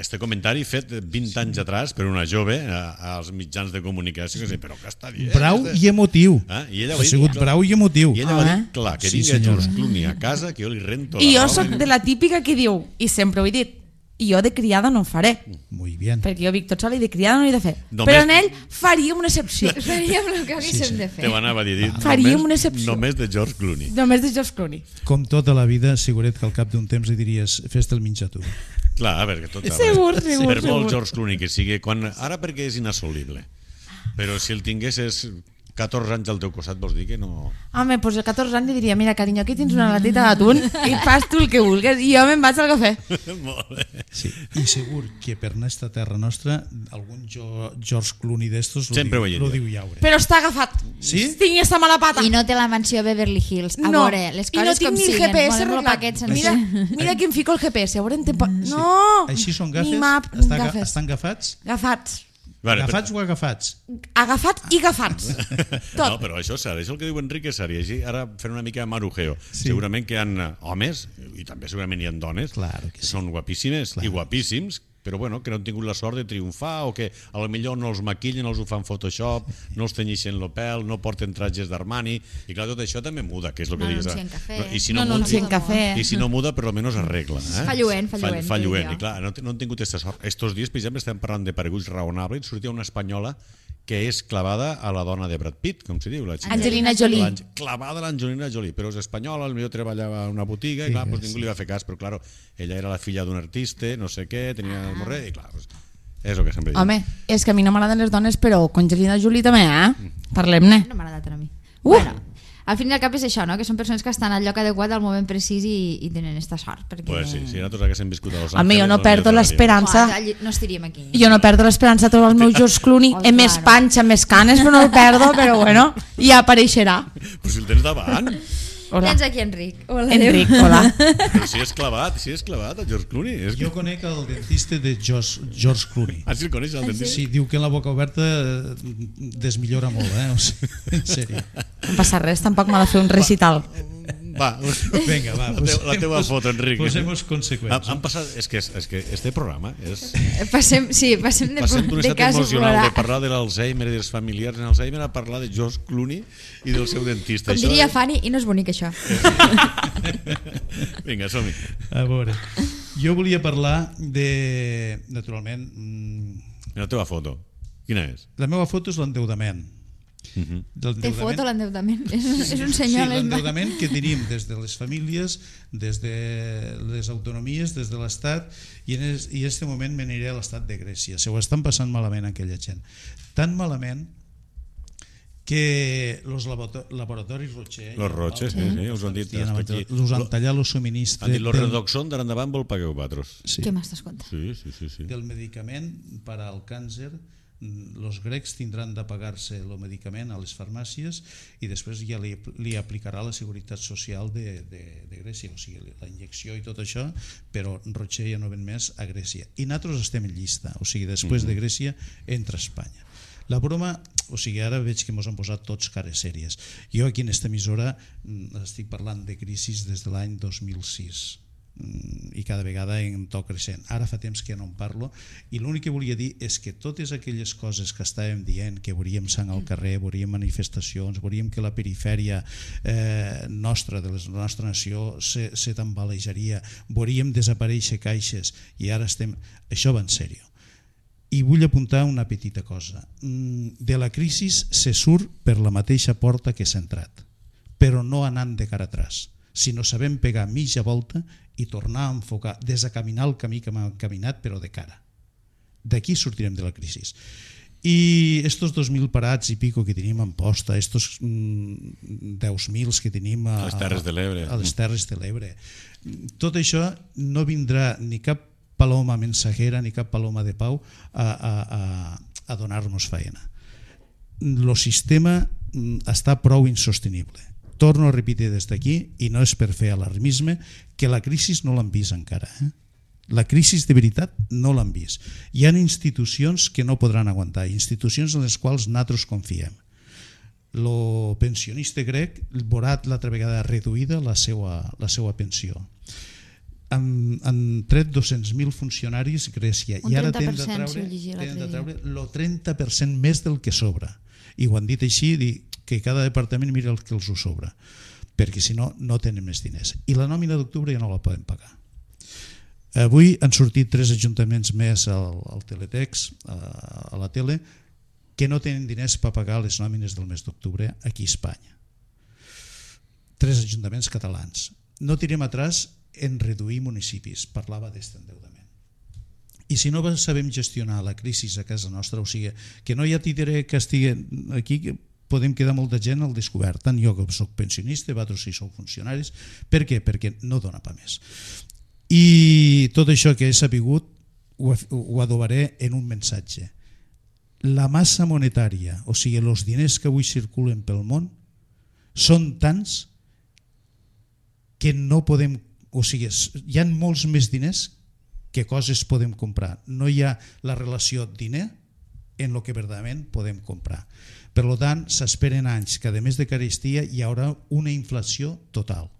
este comentari fet 20 anys atrás per una jove als mitjans de comunicació, que però què està dient? Brau i emotiu. Ha sigut brau i emotiu. I ella va dir, clar, que vingui George Clooney a casa, que jo li rento la roba. I jo soc de la típica que diu, i sempre ho he dit, i jo de criada no en faré. Muy bien. Perquè jo vic tot sol i de criada no n'he de fer. Però en ell faríem una excepció. Faríem el que haguéssim de fer. Te m'anava a dir, faríem una excepció. Només de George Clooney. Només de George Clooney. Com tota la vida, seguret que al cap d'un temps li diries fes-te el menjar tu. Clar, a veure, que tot segur. Per molt George Clooney que sigui, ara perquè és inassolible. Però si el tingués és 14 anys al teu costat vols dir que no... Home, doncs a 14 anys li diria, mira, carinyo, aquí tens una latita d'atún i fas tu el que vulguis i jo me'n vaig al cafè. Molt bé. Sí, i segur que per aquesta terra nostra algun George Clooney d'estos lo diu llaure. Però està agafat. Sí? Tinc esta mala pata. I no té la mansió Beverly Hills. A No, veure, les i no coses tinc com ni el siguen. GPS Volem-lo arreglat. paquet sencer. Mira que em fico el GPS, a veure en tempo... No! Així són Ni gafes? map, gafes. Estan agafats? Agafats. Vale, Agafats o agafats? Agafats i agafats. No, Tot. però això és el que diu Enrique Sari. Així, ara fent una mica de marujeo. Sí. Segurament que hi ha homes, i també segurament hi ha dones, Claro que sí. són guapíssimes i guapíssims, però bueno, que no han tingut la sort de triomfar o que a lo millor no els maquillen, no els ho fan Photoshop, no els tenyixen el pèl, no porten trajes d'Armani, i clar, tot això també muda, que és el que No digues. anuncien cafè. I si No muda, anuncien cafè. I si no muda, per almenys arregla. Fa lluent, Fa lluent. que I clar, no han tingut aquesta sort. Estos dies, per exemple, estem parlant de pareguts raonables, sortia una espanyola que és clavada a la dona de Brad Pitt, com se diu? Angelina Jolie. Clavada a l'Angelina Jolie, però és espanyola, potser treballava a una botiga, i clar, pues ningú li va fer cas, però clar, ella era la filla d'un artista, no sé què, tenia el morrer, i clar, pues, és el que sempre dic. Home, és que a mi no m'agraden les dones, però con Angelina Jolie també, Parlem-ne. No m'ha agradat a mi. Bueno, al fin i al cap és això, no? Que són persones que estan al lloc adequat al moment precís i tenen esta sort. Perquè... Pues sí, si nosaltres haguéssim viscut a Los Angeles... Home, jo no perdo l'esperança. No estiríem aquí. Jo no perdo l'esperança de trobar el meu George Clooney Oh, amb més claro. panxa, més canes, però no el perdo, però bueno, ja apareixerà. Però si el tens davant, Hola. Tens aquí Enric. Hola, Enric, hola. però si és clavat, el George Clooney. És... Jo conec el dentista de George Clooney. Ah, sí el coneix, el dentista? Sí, diu que la boca oberta desmillora molt, o sigui, en sèrio. No passa res, tampoc m'ha de fer un recital. Va, Vinga, va, la teva foto, Enric. Posemos conseqüents. Han passat, és que este programa és... Passem Passem de d'un estat cas emocional de plorar. parlar de l'Alzheimer i dels familiars en Alzheimer a parlar de George Clooney i del seu dentista. Com diria Fanny, i no és bonic això. Vinga, som-hi. A veure, jo volia parlar de, naturalment, La teva foto, quina és? la meva foto és l'endeudament. Té foto l'endeutament. És un senyor... Sí, l'endeudament que tenim des de les famílies, des de les autonomies, des de l'Estat, i en aquest moment m'aniré a l'Estat de Grècia. Se ho estan passant malament aquella gent. Tan malament que los laboratoris Roche... Los Roche, sí, us ho han dit. Us han tallat el subministre... Han dit, los Redoxon d'ara endavant vol pagueu vosaltres. Sí, Què m'estàs contant? Sí. del medicament per al càncer. Els grecs tindran de pagar-se el medicament a les farmàcies i després ja li aplicarà la Seguretat Social de Grècia, o sigui, la injecció i tot això, però Roche ja no ven més a Grècia. I nosaltres estem en llista, o sigui, després de Grècia entra Espanya. La broma, o sigui, ara veig que ens han posat tots cares sèries. Jo aquí en esta emissora estic parlant de crisis des de l'any 2006 i cada vegada en to creixent. Ara fa temps que no en parlo i l'únic que volia dir és que totes aquelles coses que estàvem dient, que veuríem sang al carrer, veuríem manifestacions, veuríem que la perifèria nostra, de la nostra nació, se tambalejaria, veuríem desaparèixer caixes i ara estem... Això va en sèrio. I vull apuntar una petita cosa. De la crisi se surt per la mateixa porta que s'ha entrat, però no anant de cara atràs, sinó sabem pegar mitja volta i tornar a enfocar, desacaminar el camí que hem caminat, però de cara. D'aquí sortirem de la crisi. I estos 2.000 parats i pico que tenim en posta, estos 10.000 que tenim a les Terres de l'Ebre, a les Terres de l'Ebre, tot això no vindrà ni cap paloma mensajera ni cap paloma de pau a donar-nos feina. El sistema està prou insostenible. Torno a repetir des d'aquí, i no és per fer alarmisme, que la crisi no l'han vist encara. La crisi de veritat no l'han vist. Hi ha institucions que no podran aguantar, institucions en les quals nosaltres confiem. El pensionista grec veurà l'altra vegada reduïda la seva pensió. Han tret 200.000 funcionaris Grècia i ara tenen de treure el 30% més del que sobra. I ho han dit així, que cada departament mira el que els ho sobra, perquè si no, no tenen més diners. I la nòmina d'octubre ja no la poden pagar. Avui han sortit 3 ajuntaments més al Teletext, a la tele, que no tenen diners per pagar les nòmines del mes d'octubre aquí a Espanya. 3 ajuntaments catalans. No tirem atràs en reduir municipis, parlava d'aquest endeudament. I si no sabem gestionar la crisi a casa nostra, o sigui, que no hi ha tindré que estigui aquí podem quedar molta gent al descobert, tant jo que soc pensionista, vosaltres si sou funcionaris. Per què? Perquè no dona pa més. I tot això que he sabut ho adobaré en un missatge. La massa monetària, o sigui, els diners que avui circulen pel món, són tants que no podem, o sigui, hi ha molts més diners que coses podem comprar. No hi ha la relació diner en el que verdaderament podem comprar. Per tant, s'esperen anys que a més de carestia hi haurà una inflació total.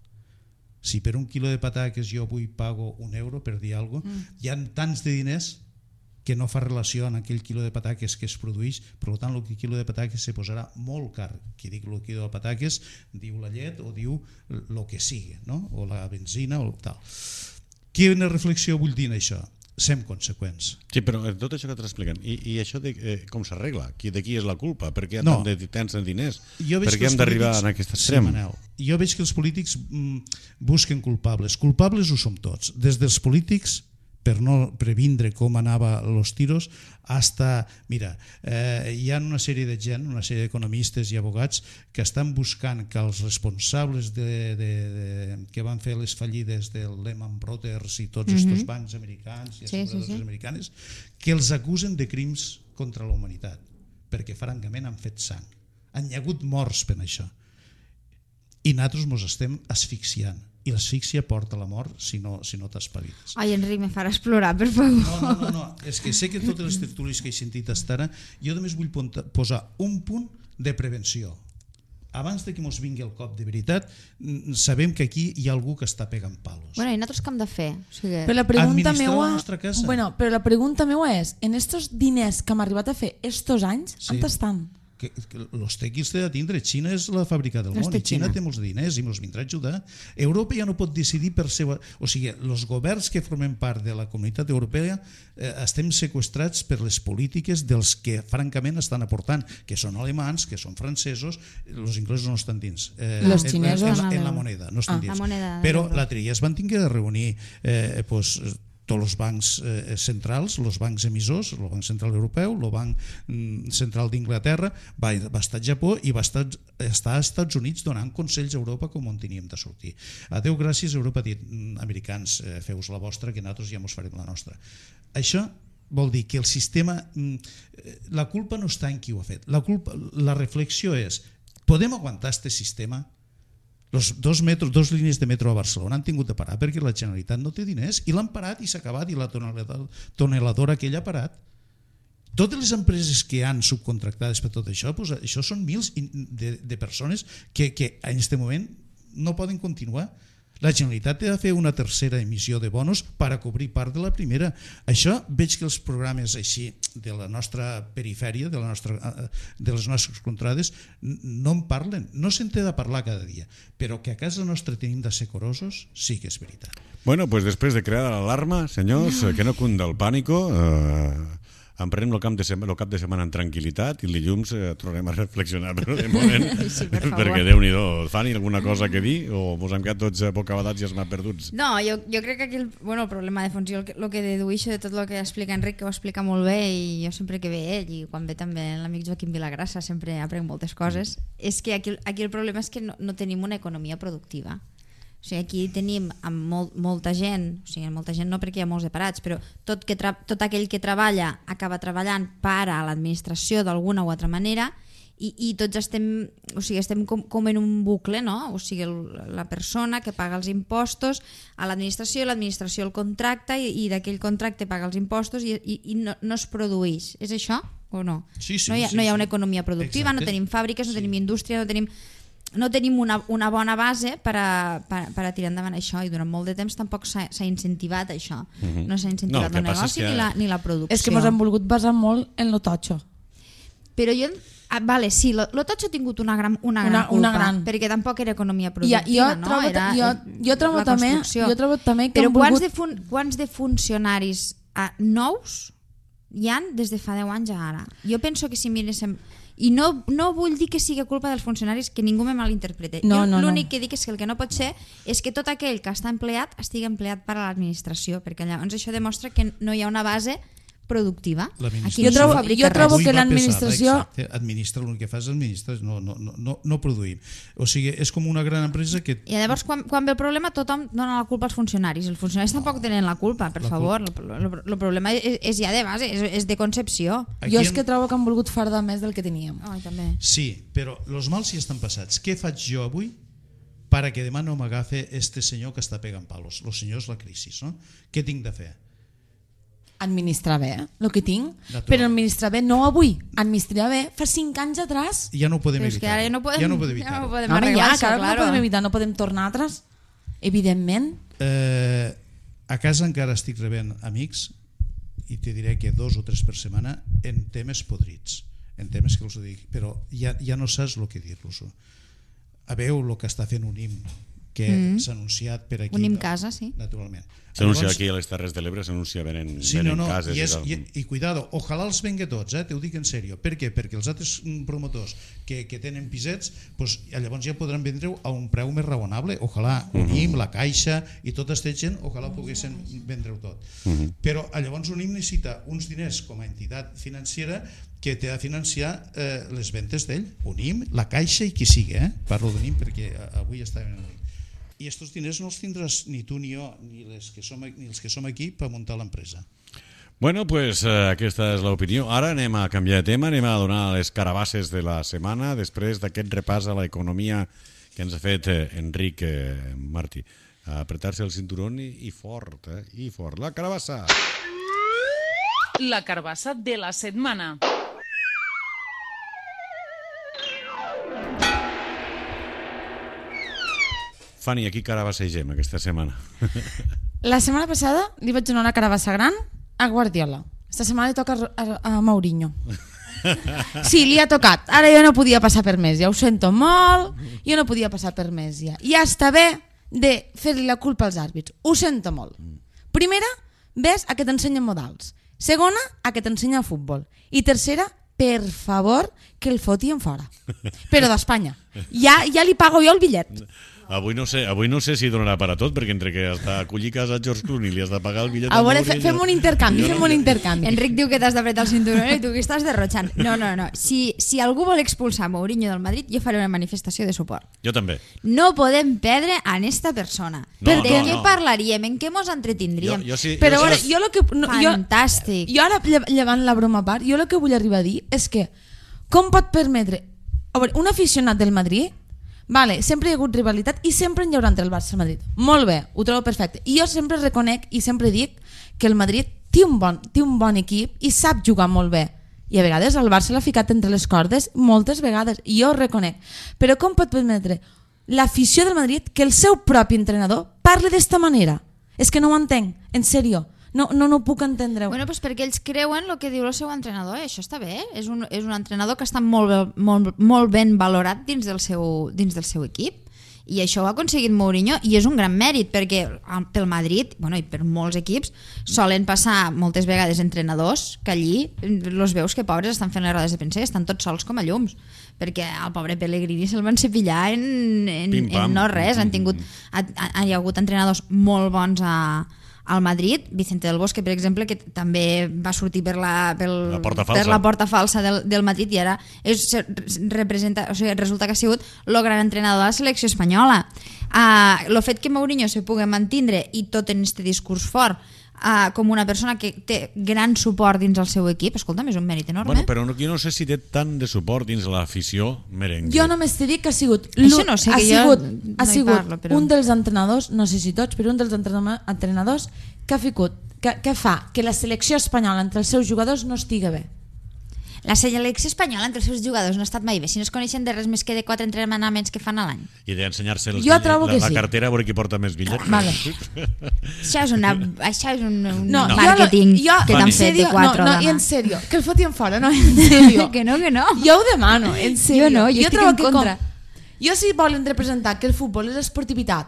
Si per un quilo de patates jo avui pago €1, per dir alguna cosa, hi ha tants de diners que no fa relació amb aquell quilo de patates que es produeix, per tant el quilo de patates se posarà molt car. Qui diu el quilo de patates diu la llet o diu el que sigui, no? O la benzina o tal. Quina reflexió vull dir en això? Sem conseqüents. Sí, però tot això que t'estàs explicant, i això com s'arregla? De qui és la culpa? Per què hi ha tant de tants diners? Per què hem d'arribar a aquest extrem? Jo veig que els polítics busquen culpables. Culpables ho som tots. Des dels polítics, per no previndre com anava els tiros, hasta, mira, hi ha una sèrie de gent, una sèrie d'economistes i abogats que estan buscant que els responsables que van fer les fallides del Lehman Brothers i tots aquests bancs americans i asseguradores americanes, que els acusen de crims contra la humanitat, perquè francament han fet sang. Han hi ha hagut morts per això. I nosaltres ens estem asfixiant. I l'asfíxia porta a la mort si no t'espaviles. Ai, Enric, me faràs plorar, per favor. No, és que sé que totes les tertúlies que he sentit fins ara, jo només vull posar un punt de prevenció. Abans de que ens vingui el cop de veritat, sabem que aquí hi ha algú que està pegant palos. Bueno, i nosaltres què hem de fer? Però la pregunta administrar la nostra casa. Però la pregunta meua és, en estos diners que hem arribat a fer estos anys, on estan? Que els té qui els té de tindre. Xina és la fàbrica del món i Xina té molts diners i ens vindrà a ajudar. Europa ja no pot decidir per seva... O sigui, els governs que formen part de la comunitat europea estem seqüestrats per les polítiques dels que francament estan aportant, que són alemans, que són francesos, els inglesos no estan dins. Els xinesos en la moneda, no estan dins. Però l'altre dia es van tenir de reunir tots els bancs centrals, els bancs emissors, el Banc Central Europeu, el Banc Central d'Inglaterra, va estar al Japó i va estar als Estats Units donant consells a Europa com on teníem de sortir. Adéu, gràcies, Europa ha dit, americans, feu-vos la vostra, que nosaltres ja ens farem la nostra. Això vol dir que el sistema, la culpa no està en qui ho ha fet, la reflexió és, podem aguantar aquest sistema? Les dos línies de metro a Barcelona han tingut de parar perquè la Generalitat no té diners i l'han parat i s'ha acabat i la toneladora aquella ha parat. Totes les empreses que han subcontractades per tot això, això són mils de persones que en aquest moment no poden continuar. La Generalitat ha de fer una tercera emissió de bonos per a cobrir part de la primera. Això veig que els programes així de la nostra perifèria, de les nostres contrades, no en parlen. No se'n té de parlar cada dia, però que a casa nostra tenim de ser corosos, sí que és veritat. Bueno, pues després de crear l'alarma, senyors, que no cunda el pànico, emprenem el cap de setmana en tranquil·litat i dilluns tornarem a reflexionar, però de moment, perquè Déu-n'hi-do, Fanny, alguna cosa que dir o mos hem quedat tots bocabadats i els m'ha perduts? No, jo crec que aquí el problema de fons, jo el que dedueixo de tot el que explica Enric, que ho explica molt bé, i jo sempre que ve ell i quan ve també l'amic Joaquim Vilagrassa sempre aprenc moltes coses, és que aquí el problema és que no tenim una economia productiva. O sigui, aquí tenim molta gent, o sigui, molta gent no perquè hi ha molts de parats, però tot aquell que treballa acaba treballant per a l'administració d'alguna o altra manera i tots estem com en un bucle, no? O sigui, la persona que paga els impostos a l'administració el contracta i d'aquell contracte paga els impostos i no es produeix. És això o no? Sí, no hi ha una economia productiva, no tenim fàbriques, no tenim indústria, no tenim una bona base per a tirar endavant això, i durant molt de temps tampoc s'ha incentivat això. No s'ha incentivat el negoci ni la producció. És que ens hem volgut basar molt en lo totxo. Però jo... Vale, sí, lo totxo ha tingut una gran culpa, perquè tampoc era economia productiva, no? Jo trobo també que però quants de funcionaris nous hi han des de fa 10 anys a ara? Jo penso que si miréssim... I no vull dir que sigui culpa dels funcionaris, que ningú me malinterprete. L'únic que dic és que el que no pot ser és que tot aquell que està empleat estigui empleat per a l'administració, perquè llavors això demostra que no hi ha una base productiva. Jo trobo que l'administració... Administra, l'únic que fa és administrar, no produïm. O sigui, és com una gran empresa que... I llavors, quan ve el problema, tothom dona la culpa als funcionaris. Els funcionaris tampoc tenen la culpa, per favor. El problema és ja de base, és de concepció. Jo és que trobo que han volgut fardar més del que teníem. També. Sí, però els mals ja estan passats. Què faig jo avui para que demà no m'agafe este senyor que està pegant palos? Los senyors la crisi, no? Què tinc de fer? Administrar bé, el que tinc, però administrar bé no avui, administrar bé fa 5 anys atrás. Ja no ho podem evitar. Ja no podem arreglar això, claro. No podem evitar, no podem tornar atrás, evidentment. A casa encara estic rebent amics, i te diré que 2 o 3 per setmana, en temes podrits, en temes que els dic, però ja no saps el que dir-los. Veu el que està fent Unim, que s'ha anunciat per aquí. Unim Casa, sí. Naturalment. S'anuncia aquí a les Terres de l'Ebre, s'anuncia venen cases. I cuidado, ojalà els venga tots, te ho dic en sèrio. Per què? Perquè els altres promotors que tenen pisets, pues, llavors ja podran vendre a un preu més raonable. Ojalà Unim, la Caixa i tota aquesta gent, ojalà poguessin vendre-ho tot. Però llavors Unim necessita uns diners com a entitat financera que té de financiar les ventes d'ell. Unim, la Caixa i qui sigui. Parlo d'Unim perquè avui estàvem en Unim. I aquests diners no els tindràs ni tu ni jo ni els que som aquí per muntar l'empresa. Bueno, pues aquesta és l'opinió. Ara anem a canviar de tema, anem a donar les carabasses de la setmana després d'aquest repàs a l'economia que ens ha fet Enric Martí. A apretar-se el cinturón i fort, i fort. La carabassa! La carabassa de la setmana. Fanny, aquí carabassegem aquesta setmana. La setmana passada li vaig donar una carabassa gran a Guardiola. Esta setmana li toca a Mourinho. Sí, li ha tocat. Ara jo no podia passar per més, ja ho sento molt, jo no podia passar per més ja. Ja està bé de fer-li la culpa als àrbits, ho sento molt. Primera, ves a que t'ensenyen modals. Segona, a que t'ensenyen futbol. I tercera, per favor, que el fotien fora. Però d'Espanya. Ja li pago jo el bitllet. Avui no sé si donarà per a tot, perquè entre que has d'acollir casa a George Clooney li has de pagar el bitllet... A veure, fem un intercanvi, Enric diu que t'has d'apretar el cinturón i tu que estàs derrotxant. No. Si algú vol expulsar Mourinho del Madrid, jo faré una manifestació de suport. Jo també. No podem perdre a esta persona. De què parlaríem? En què mos entretindríem? Però a veure, jo lo que... Fantàstic. Jo ara, llevant la broma a part, jo el que vull arribar a dir és que com pot permetre... A veure, un aficionat del Madrid... Vale, sempre hi ha hagut rivalitat i sempre hi haurà entre el Barça i el Madrid. Molt bé, ho trobo perfecte. I jo sempre reconec i sempre dic que el Madrid té un bon equip i sap jugar molt bé. I a vegades el Barça l'ha ficat entre les cordes moltes vegades, i jo ho reconec. Però com pot permetre l'afició del Madrid que el seu propi entrenador parli d'esta manera? És que no ho entenc, en sèrio. No puc entendre-ho. Bueno, pues perquè ells creuen el que diu el seu entrenador, això està bé. És un entrenador que està molt ben valorat dins del seu equip, i això ho ha aconseguit Mourinho, i és un gran mèrit, perquè pel Madrid, bueno, i per molts equips, solen passar moltes vegades entrenadors que allí los veus que pobres estan fent les rodes de premsa i estan tots sols com a llums, perquè al pobre Pellegrini se'l van cepillar en no res. Hi ha hagut entrenadors molt bons al Madrid, Vicente del Bosque, per exemple, que també va sortir per la porta falsa del Madrid, i ara resulta que ha sigut el gran entrenador de la selecció espanyola. El fet que Mourinho se pugui mantindre i tot en este discurs fort com una persona que té gran suport dins el seu equip, escolta'm, és un mèrit enorme. Bueno, però jo no sé si té tant de suport dins l'afició merengue. Jo només t'he dit que ha sigut un dels entrenadors, no sé si tots, però un dels entrenadors que fa que la selecció espanyola entre els seus jugadors no estigui bé. La selecció espanyola entre els seus jugadors no ha estat mai bé, si no es coneixen de res més que de 4 entrenaments que fan a l'any. I d'ensenyar-se la cartera a veure qui porta més bitllets. Vale. Això és un màrqueting que t'han fet de 4 No, i en sèrio, que el fotien fora, no, en sèrio. Que no. Jo ho demano, en sèrio. Jo estic en contra. Jo si volen representar que el futbol és esportivitat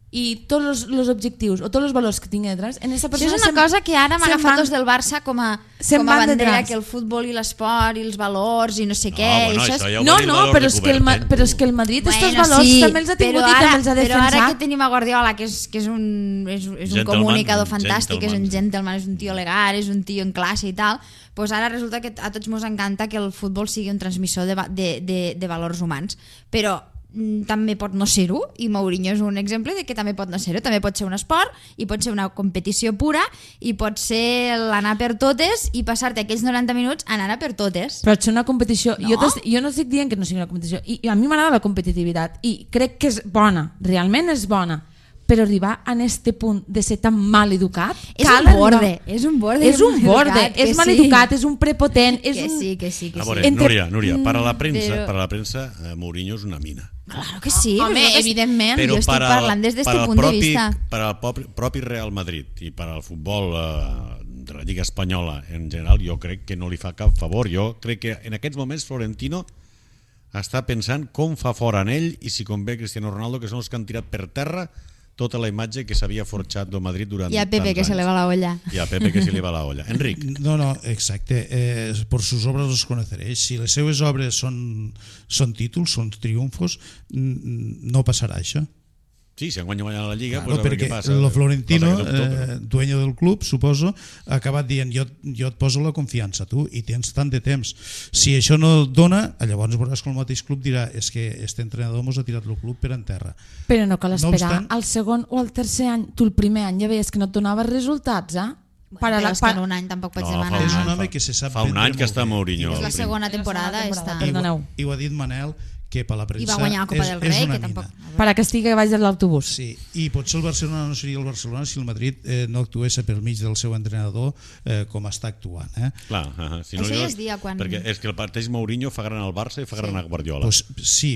i tots els objectius o tots els valors que tingui detrás, en aquesta persona... Això és una cosa que ara m'ha agafat dos del Barça com a bandera, que el futbol i l'esport i els valors i no sé què. No, però és que el Madrid aquests valors també els ha tingut i també els ha defensat. Però ara que tenim a Guardiola, que és un comunicador fantàstic, és un gentleman, és un tio legal, és un tio en classe i tal, doncs ara resulta que a tots ens encanta que el futbol sigui un transmissor de valors humans. Però també pot no ser-ho, i Mourinho és un exemple de que també pot no ser-ho, també pot ser un esport i pot ser una competició pura i pot ser l'anar per totes i passar-te aquells 90 minuts anant a per totes. Però és una competició, no? Jo no estic dient que no sigui una competició, i a mi m'agrada la competitivitat i crec que és bona, realment és bona, però arribar a este punt de ser tan mal educat és un borde, és mal educat, és un prepotent, és que sí. A veure, Núria, para la premsa Mourinho és una mina. Claro que sí, home, evidentment. Jo estic parlant des d'aquest punt de vista. Per al propi Real Madrid i per al futbol de la Lliga Espanyola en general, jo crec que no li fa cap favor. Jo crec que en aquests moments Florentino està pensant com fa fora en ell i si convé Cristiano Ronaldo, que són els que han tirat per terra tota la imatge que s'havia forjat del Madrid durant tants anys. I a Pepe, que se le va la olla. I a Pepe, que se li va la olla. Enric. No, exacte. Por sus obras los conoceréis. Si les seues obres són títols, són triomfos, no passarà això. Sí, si enguany guanyarà la Lliga, claro, pues a ver què passa. Lo Florentino, dueño del club, suposo, ha acabat dient jo et poso la confiança, tu, i tens tant de temps. Si això no et dona, llavors veuràs que el mateix club dirà és que este entrenador mos ha tirat el club per en terra. Però no cal esperar al segon o al tercer any. Tu el primer any ja veies que no et donava resultats, Però és que en un any tampoc pots demanar. És un home que se sap fa un any que està Mourinho. És la segona temporada. I ho ha dit Manel, que per la premsa i va guanyar la Copa del Rei, que tampoc... Per a que estigui baix de l'autobús. Sí, i potser el Barcelona no seria el Barcelona si el Madrid no actués pel mig del seu entrenador com està actuant. Clar, si no, això ja es dia quan... Perquè és que el parteix Mourinho fa gran al Barça i fa gran a Guardiola. Pues sí,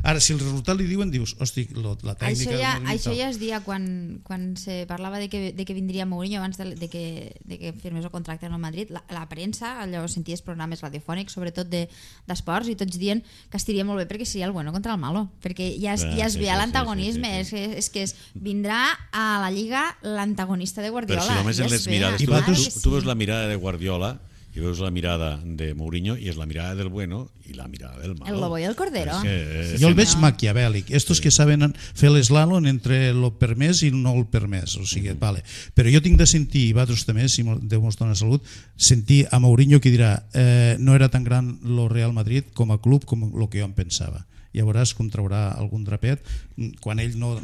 ara si el resultat li diuen, dius, hosti, la tècnica... Això ja es dia quan se parlava de que vindria Mourinho abans de que firmés el contracte en el Madrid. La premsa, allò senties programes radiofònics, sobretot d'esports, i tots dient que estiria molt bé perquè seria el bueno contra el malo, perquè ja es ve l'antagonisme, és que vindrà a la Lliga l'antagonista de Guardiola. Però si només en les mirades, tu veus la mirada de Guardiola i veus la mirada de Mourinho i és la mirada del bueno i la mirada del malo. El lobo i el cordero. Jo el veig maquiavèlic. Estos que saben fer l'eslàlon entre lo permès i no el permès. O sigui, vale. Però jo tinc de sentir, i vosaltres també, si Déu mos dona salut, sentir a Mourinho que dirà no era tan gran lo Real Madrid com a club com el que jo em pensava. Ja veuràs com traurà algun drapet quan ell no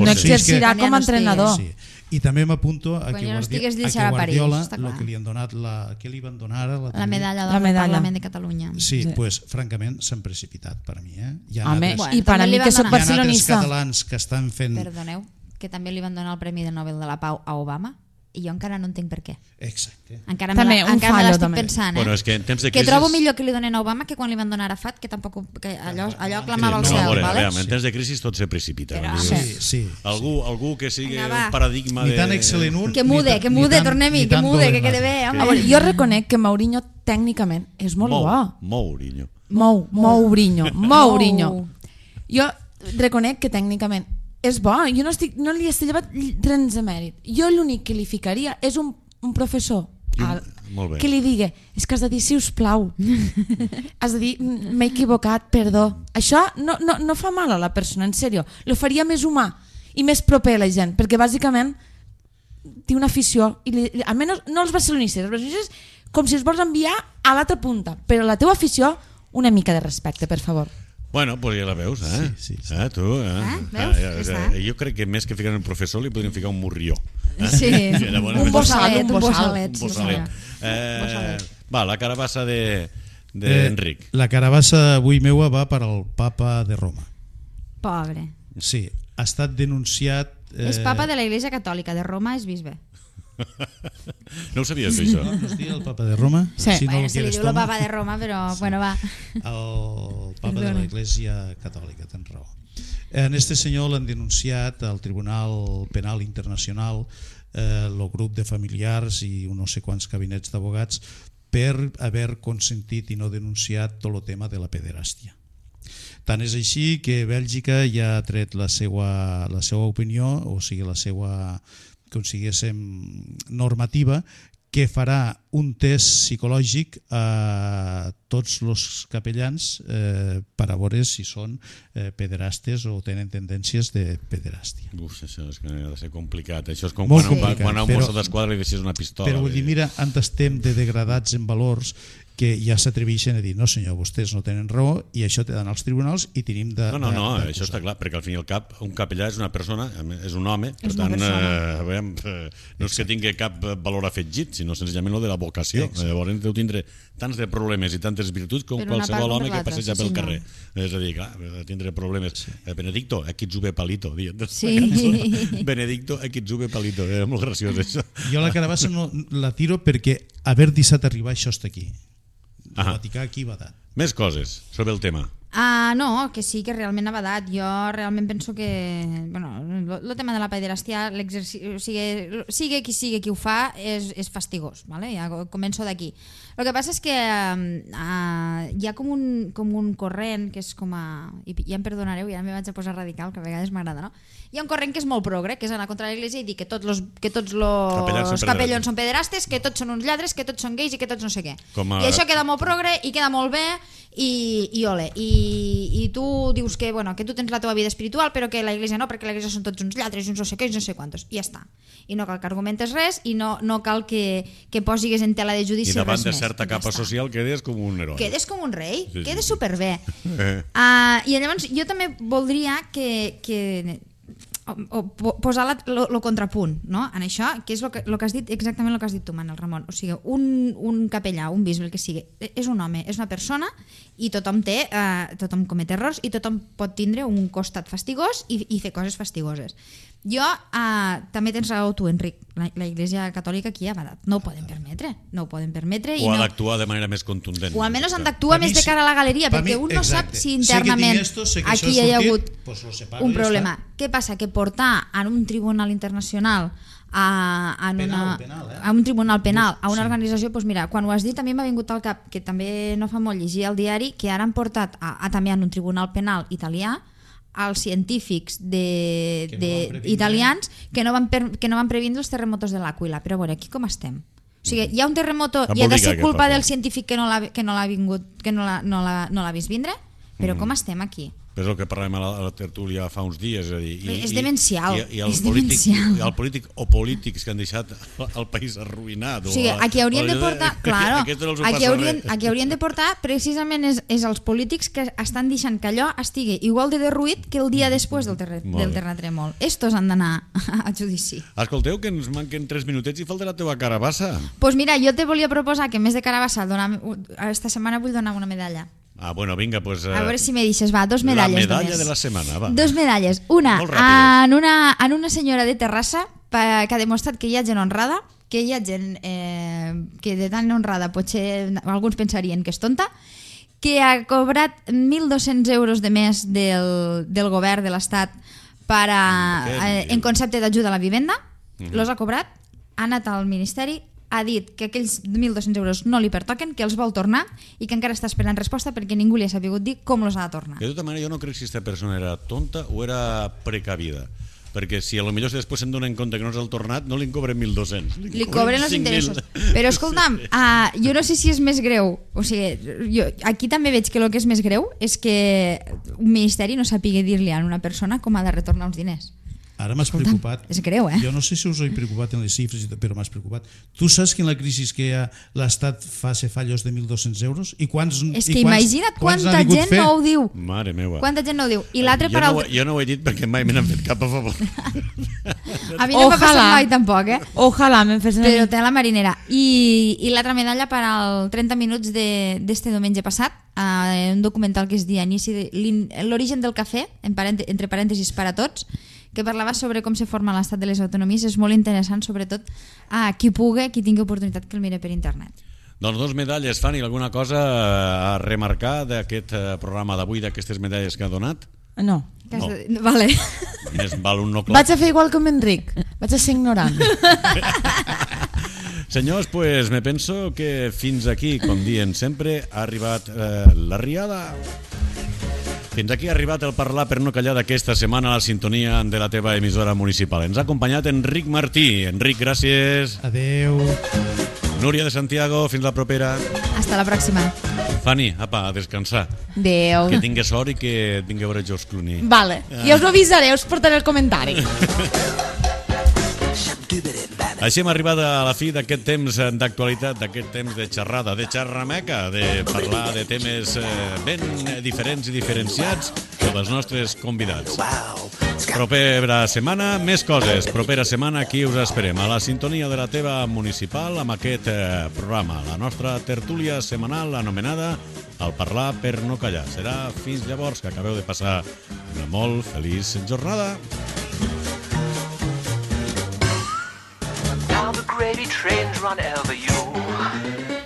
exercirà com a entrenador. Sí. I també m'apunto a que Guardiola el que li han donat què li van donar ara? La medalla del Parlament de Catalunya. Sí, pues francament s'han precipitat per a mi. I per a mi que soc barcelonista. Hi ha altres catalans que estan fent... Perdoneu, que també li van donar el Premi de Nobel de la Pau a Obama i jo encara no entenc per què. Exacte. Encara me l'estic pensant, Bueno, és que en temps de crisis... Que trobo millor que li donen a Obama que quan li van donar a Arafat, que tampoc allò clamava al cel. En temps de crisi tot se precipita. Sí. Algú que sigui un paradigma de... Ni tan excel·lent un... Que mude, tornem-hi, que mude, que quede bé. Jo reconec que Mourinho tècnicament és molt bo. Mourinho. Jo reconec que tècnicament és bo, jo no li estic llevat res de mèrit. Jo l'únic que li ficaria és un professor que li digui, és que has de dir sisplau, has de dir m'he equivocat, perdó. Això no fa mal a la persona, en sèrio, lo faria més humà i més proper a la gent, perquè bàsicament té una afició, almenys no els barcelonistes, com si els vols enviar a l'altra punta, però la teva afició una mica de respecte, per favor. Bueno, pues ja la veus, Sí. Tu, jo crec que més que ficar un professor li podríem ficar un morrió. Sí, un bossalet. Va, la carabassa d'Enric. La carabassa avui meua va per al papa de Roma. Pobre. Sí, ha estat denunciat... És papa de la Iglesia Catòlica, de Roma és bisbe. No ho sabies, això? No es diu el papa de Roma? Sí, se li diu el papa de Roma, però bueno, va. El papa de la Iglesia Catòlica, tens raó. En este senyor l'han denunciat al Tribunal Penal Internacional el grup de familiars i no sé quants gabinets d'abogats per haver consentit i no denunciat tot el tema de la pederàstia. Tant és així que Bèlgica ja ha tret la seva opinió, o sigui, la seva, com si diguéssim, normativa, que farà un test psicològic a tots els capellans per a veure si són pederastes o tenen tendències de pederàstia. Això és que ha de ser complicat. Això és com Molt quan complicat, a un mosso d'esquadra li deixes una pistola. Però vull dir, mira, on estem de degradats en valors que ja s'atreveixen a dir no senyor, vostès no tenen raó i això t'he d'anar als tribunals i tenim de... No, això està clar, perquè al fin i al cap un capellà és una persona, és un home, per tant, no és que tingui cap valor afegit, sinó senzillament el de la vocació. Llavors deu tindre tants de problemes i tantes virtuts com qualsevol home que passeja pel carrer. És a dir, clar, tindre problemes. Benedicto, aquí ets palito. Benedicto, aquí ets palito. Era molt graciós, això. Jo la carabassa no la tiro perquè haver deixat arribar això està aquí. El Vaticà aquí va dar. Més coses sobre el tema. No, que sí, que realment ha badat. Jo realment penso que el tema de la pederàstia, sigui qui ho fa, és fastigós, ¿vale? Ja començo d'aquí. El que passa és que hi ha com un corrent que és com a... I ja em perdonareu, ja me vaig a posar radical, que a vegades m'agrada, no? Hi ha un corrent que és molt progre, que és anar contra l'Església i dir que tots los capellons són pederastes, que tots són uns lladres, que tots són gais i que tots no sé què. I això queda molt progre i queda molt bé i ole. I tu dius que tu tens la teva vida espiritual però que l'Església no, perquè l'Església són tots uns lladres i uns no sé què, no sé quantos, i ja està. I no cal que argumentes res i no cal que posigues en tela de judici res més. I davant de certa capa social quedes com un heroi. Quedes com un rei, quedes superbé. I llavors jo també voldria que posar el contrapunt, no? En això, que és el que has dit, exactament el que has dit tu, Manel Ramon. O sigui, un capellà, un bisbe, el que sigui, és un home, és una persona i tothom comet errors i tothom pot tindre un costat fastigós i fer coses fastigoses. Jo, també tens raó tu, Enric, la Iglesia Catòlica aquí ha badat. No ho poden permetre. O ha d'actuar de manera més contundent. O almenys han d'actuar més de cara a la galeria, perquè un no sap si internament aquí hi ha hagut un problema. Què passa? Que portar en un tribunal internacional a un tribunal penal, a una organització, doncs mira, quan ho has dit també m'ha vingut al cap, que també no fa molt llegir el diari, que ara han portat també en un tribunal penal italià als científics italians que no van previndre els terremotos de l'Àquila. Però a veure, aquí com estem? O sigui, hi ha un terremoto i ha de ser culpa del científic que no l'ha vist vindre? Però com estem aquí? És el que parlem a la tertúlia fa uns dies. És demencial. I el polític o polítics que han deixat el país arruïnat. O sigui, a qui haurien de portar... Claro, a qui haurien de portar precisament és els polítics que estan deixant que allò estigui igual de derruït que el dia després del terratrèmol. Estos han d'anar a judici. Escolteu, que ens manquen 3 minutets i falta la teva carabassa. Doncs mira, jo te volia proposar que en més de carabassa esta setmana vull donar una medalla. Bueno, vinga, pues... A veure si me deixes, va, 2 medalles. La medalla de la setmana, va. 2 medalles. Una en una senyora de Terrassa que ha demostrat que hi ha gent honrada, que hi ha gent que de tan honrada potser alguns pensarien que és tonta, que ha cobrat 1.200 euros de més del govern de l'Estat en concepte d'ajuda a la vivenda. Los ha cobrat, ha anat al Ministeri, ha dit que aquells 1.200 euros no li pertoquen, que els vol tornar i que encara està esperant resposta perquè ningú li ha sabut dir com els ha de tornar. De tota manera, jo no crec si aquesta persona era tonta o era precavida, perquè si potser després se'n donen compte que no s'ha tornat, no li cobren 1.200. Li cobren els interessos. Però escolta'm, jo no sé si és més greu, o sigui, aquí també veig que el que és més greu és que un ministeri no sàpiga dir-li a una persona com ha de retornar uns diners. Ara m'has preocupat. És greu, Jo no sé si us he preocupat en les xifres, però m'has preocupat. Tu saps que en la crisi que hi ha l'Estat fa fallos de 1.200 euros? És que imagina't quanta gent no ho diu. Mare meva. Quanta gent no ho diu. I l'altre jo no ho he dit perquè mai me n'han fet cap a favor. A mi no m'ha passat mai tampoc, Ojalà me'n fes però té la marinera. I l'altra medalla per als 30 minuts d'este diumenge passat, un documental que es deia L'origen del cafè, entre parèntesis per a tots, que parlava sobre com se forma l'estat de les autonomies. És molt interessant, sobretot qui tingui oportunitat que el mire per internet. Doncs 2 medalles. Fanny, alguna cosa a remarcar d'aquest programa d'avui, d'aquestes medalles que ha donat? No. Vale. Més val un no clar. Vaig a fer igual que amb Enric, vaig a ser ignorant. Senyors, pues me penso que fins aquí, com dient sempre, ha arribat la riada. Fins aquí ha arribat el parlar per no callar d'aquesta setmana a la sintonia de la teva emissora municipal. Ens ha acompanyat Enric Martí. Enric, gràcies. Adeu. Núria de Santiago, fins la propera. Hasta la pròxima. Fanny, apa, a descansar. Adéu. Que tingues sort i que tingui a veure George Clooney. Vale, ja us ho avisaré, us portaré el comentari. Així hem arribat a la fi d'aquest temps d'actualitat, d'aquest temps de xerrada, de xerrameca, de parlar de temes ben diferents i diferenciats dels nostres convidats. Propera setmana, més coses. Propera setmana aquí us esperem, a la sintonia de la teva municipal, amb aquest programa, la nostra tertúlia setmanal anomenada El parlar per no callar. Serà fins llavors, que acabeu de passar una molt feliç jornada. Now the gravy trains run over you.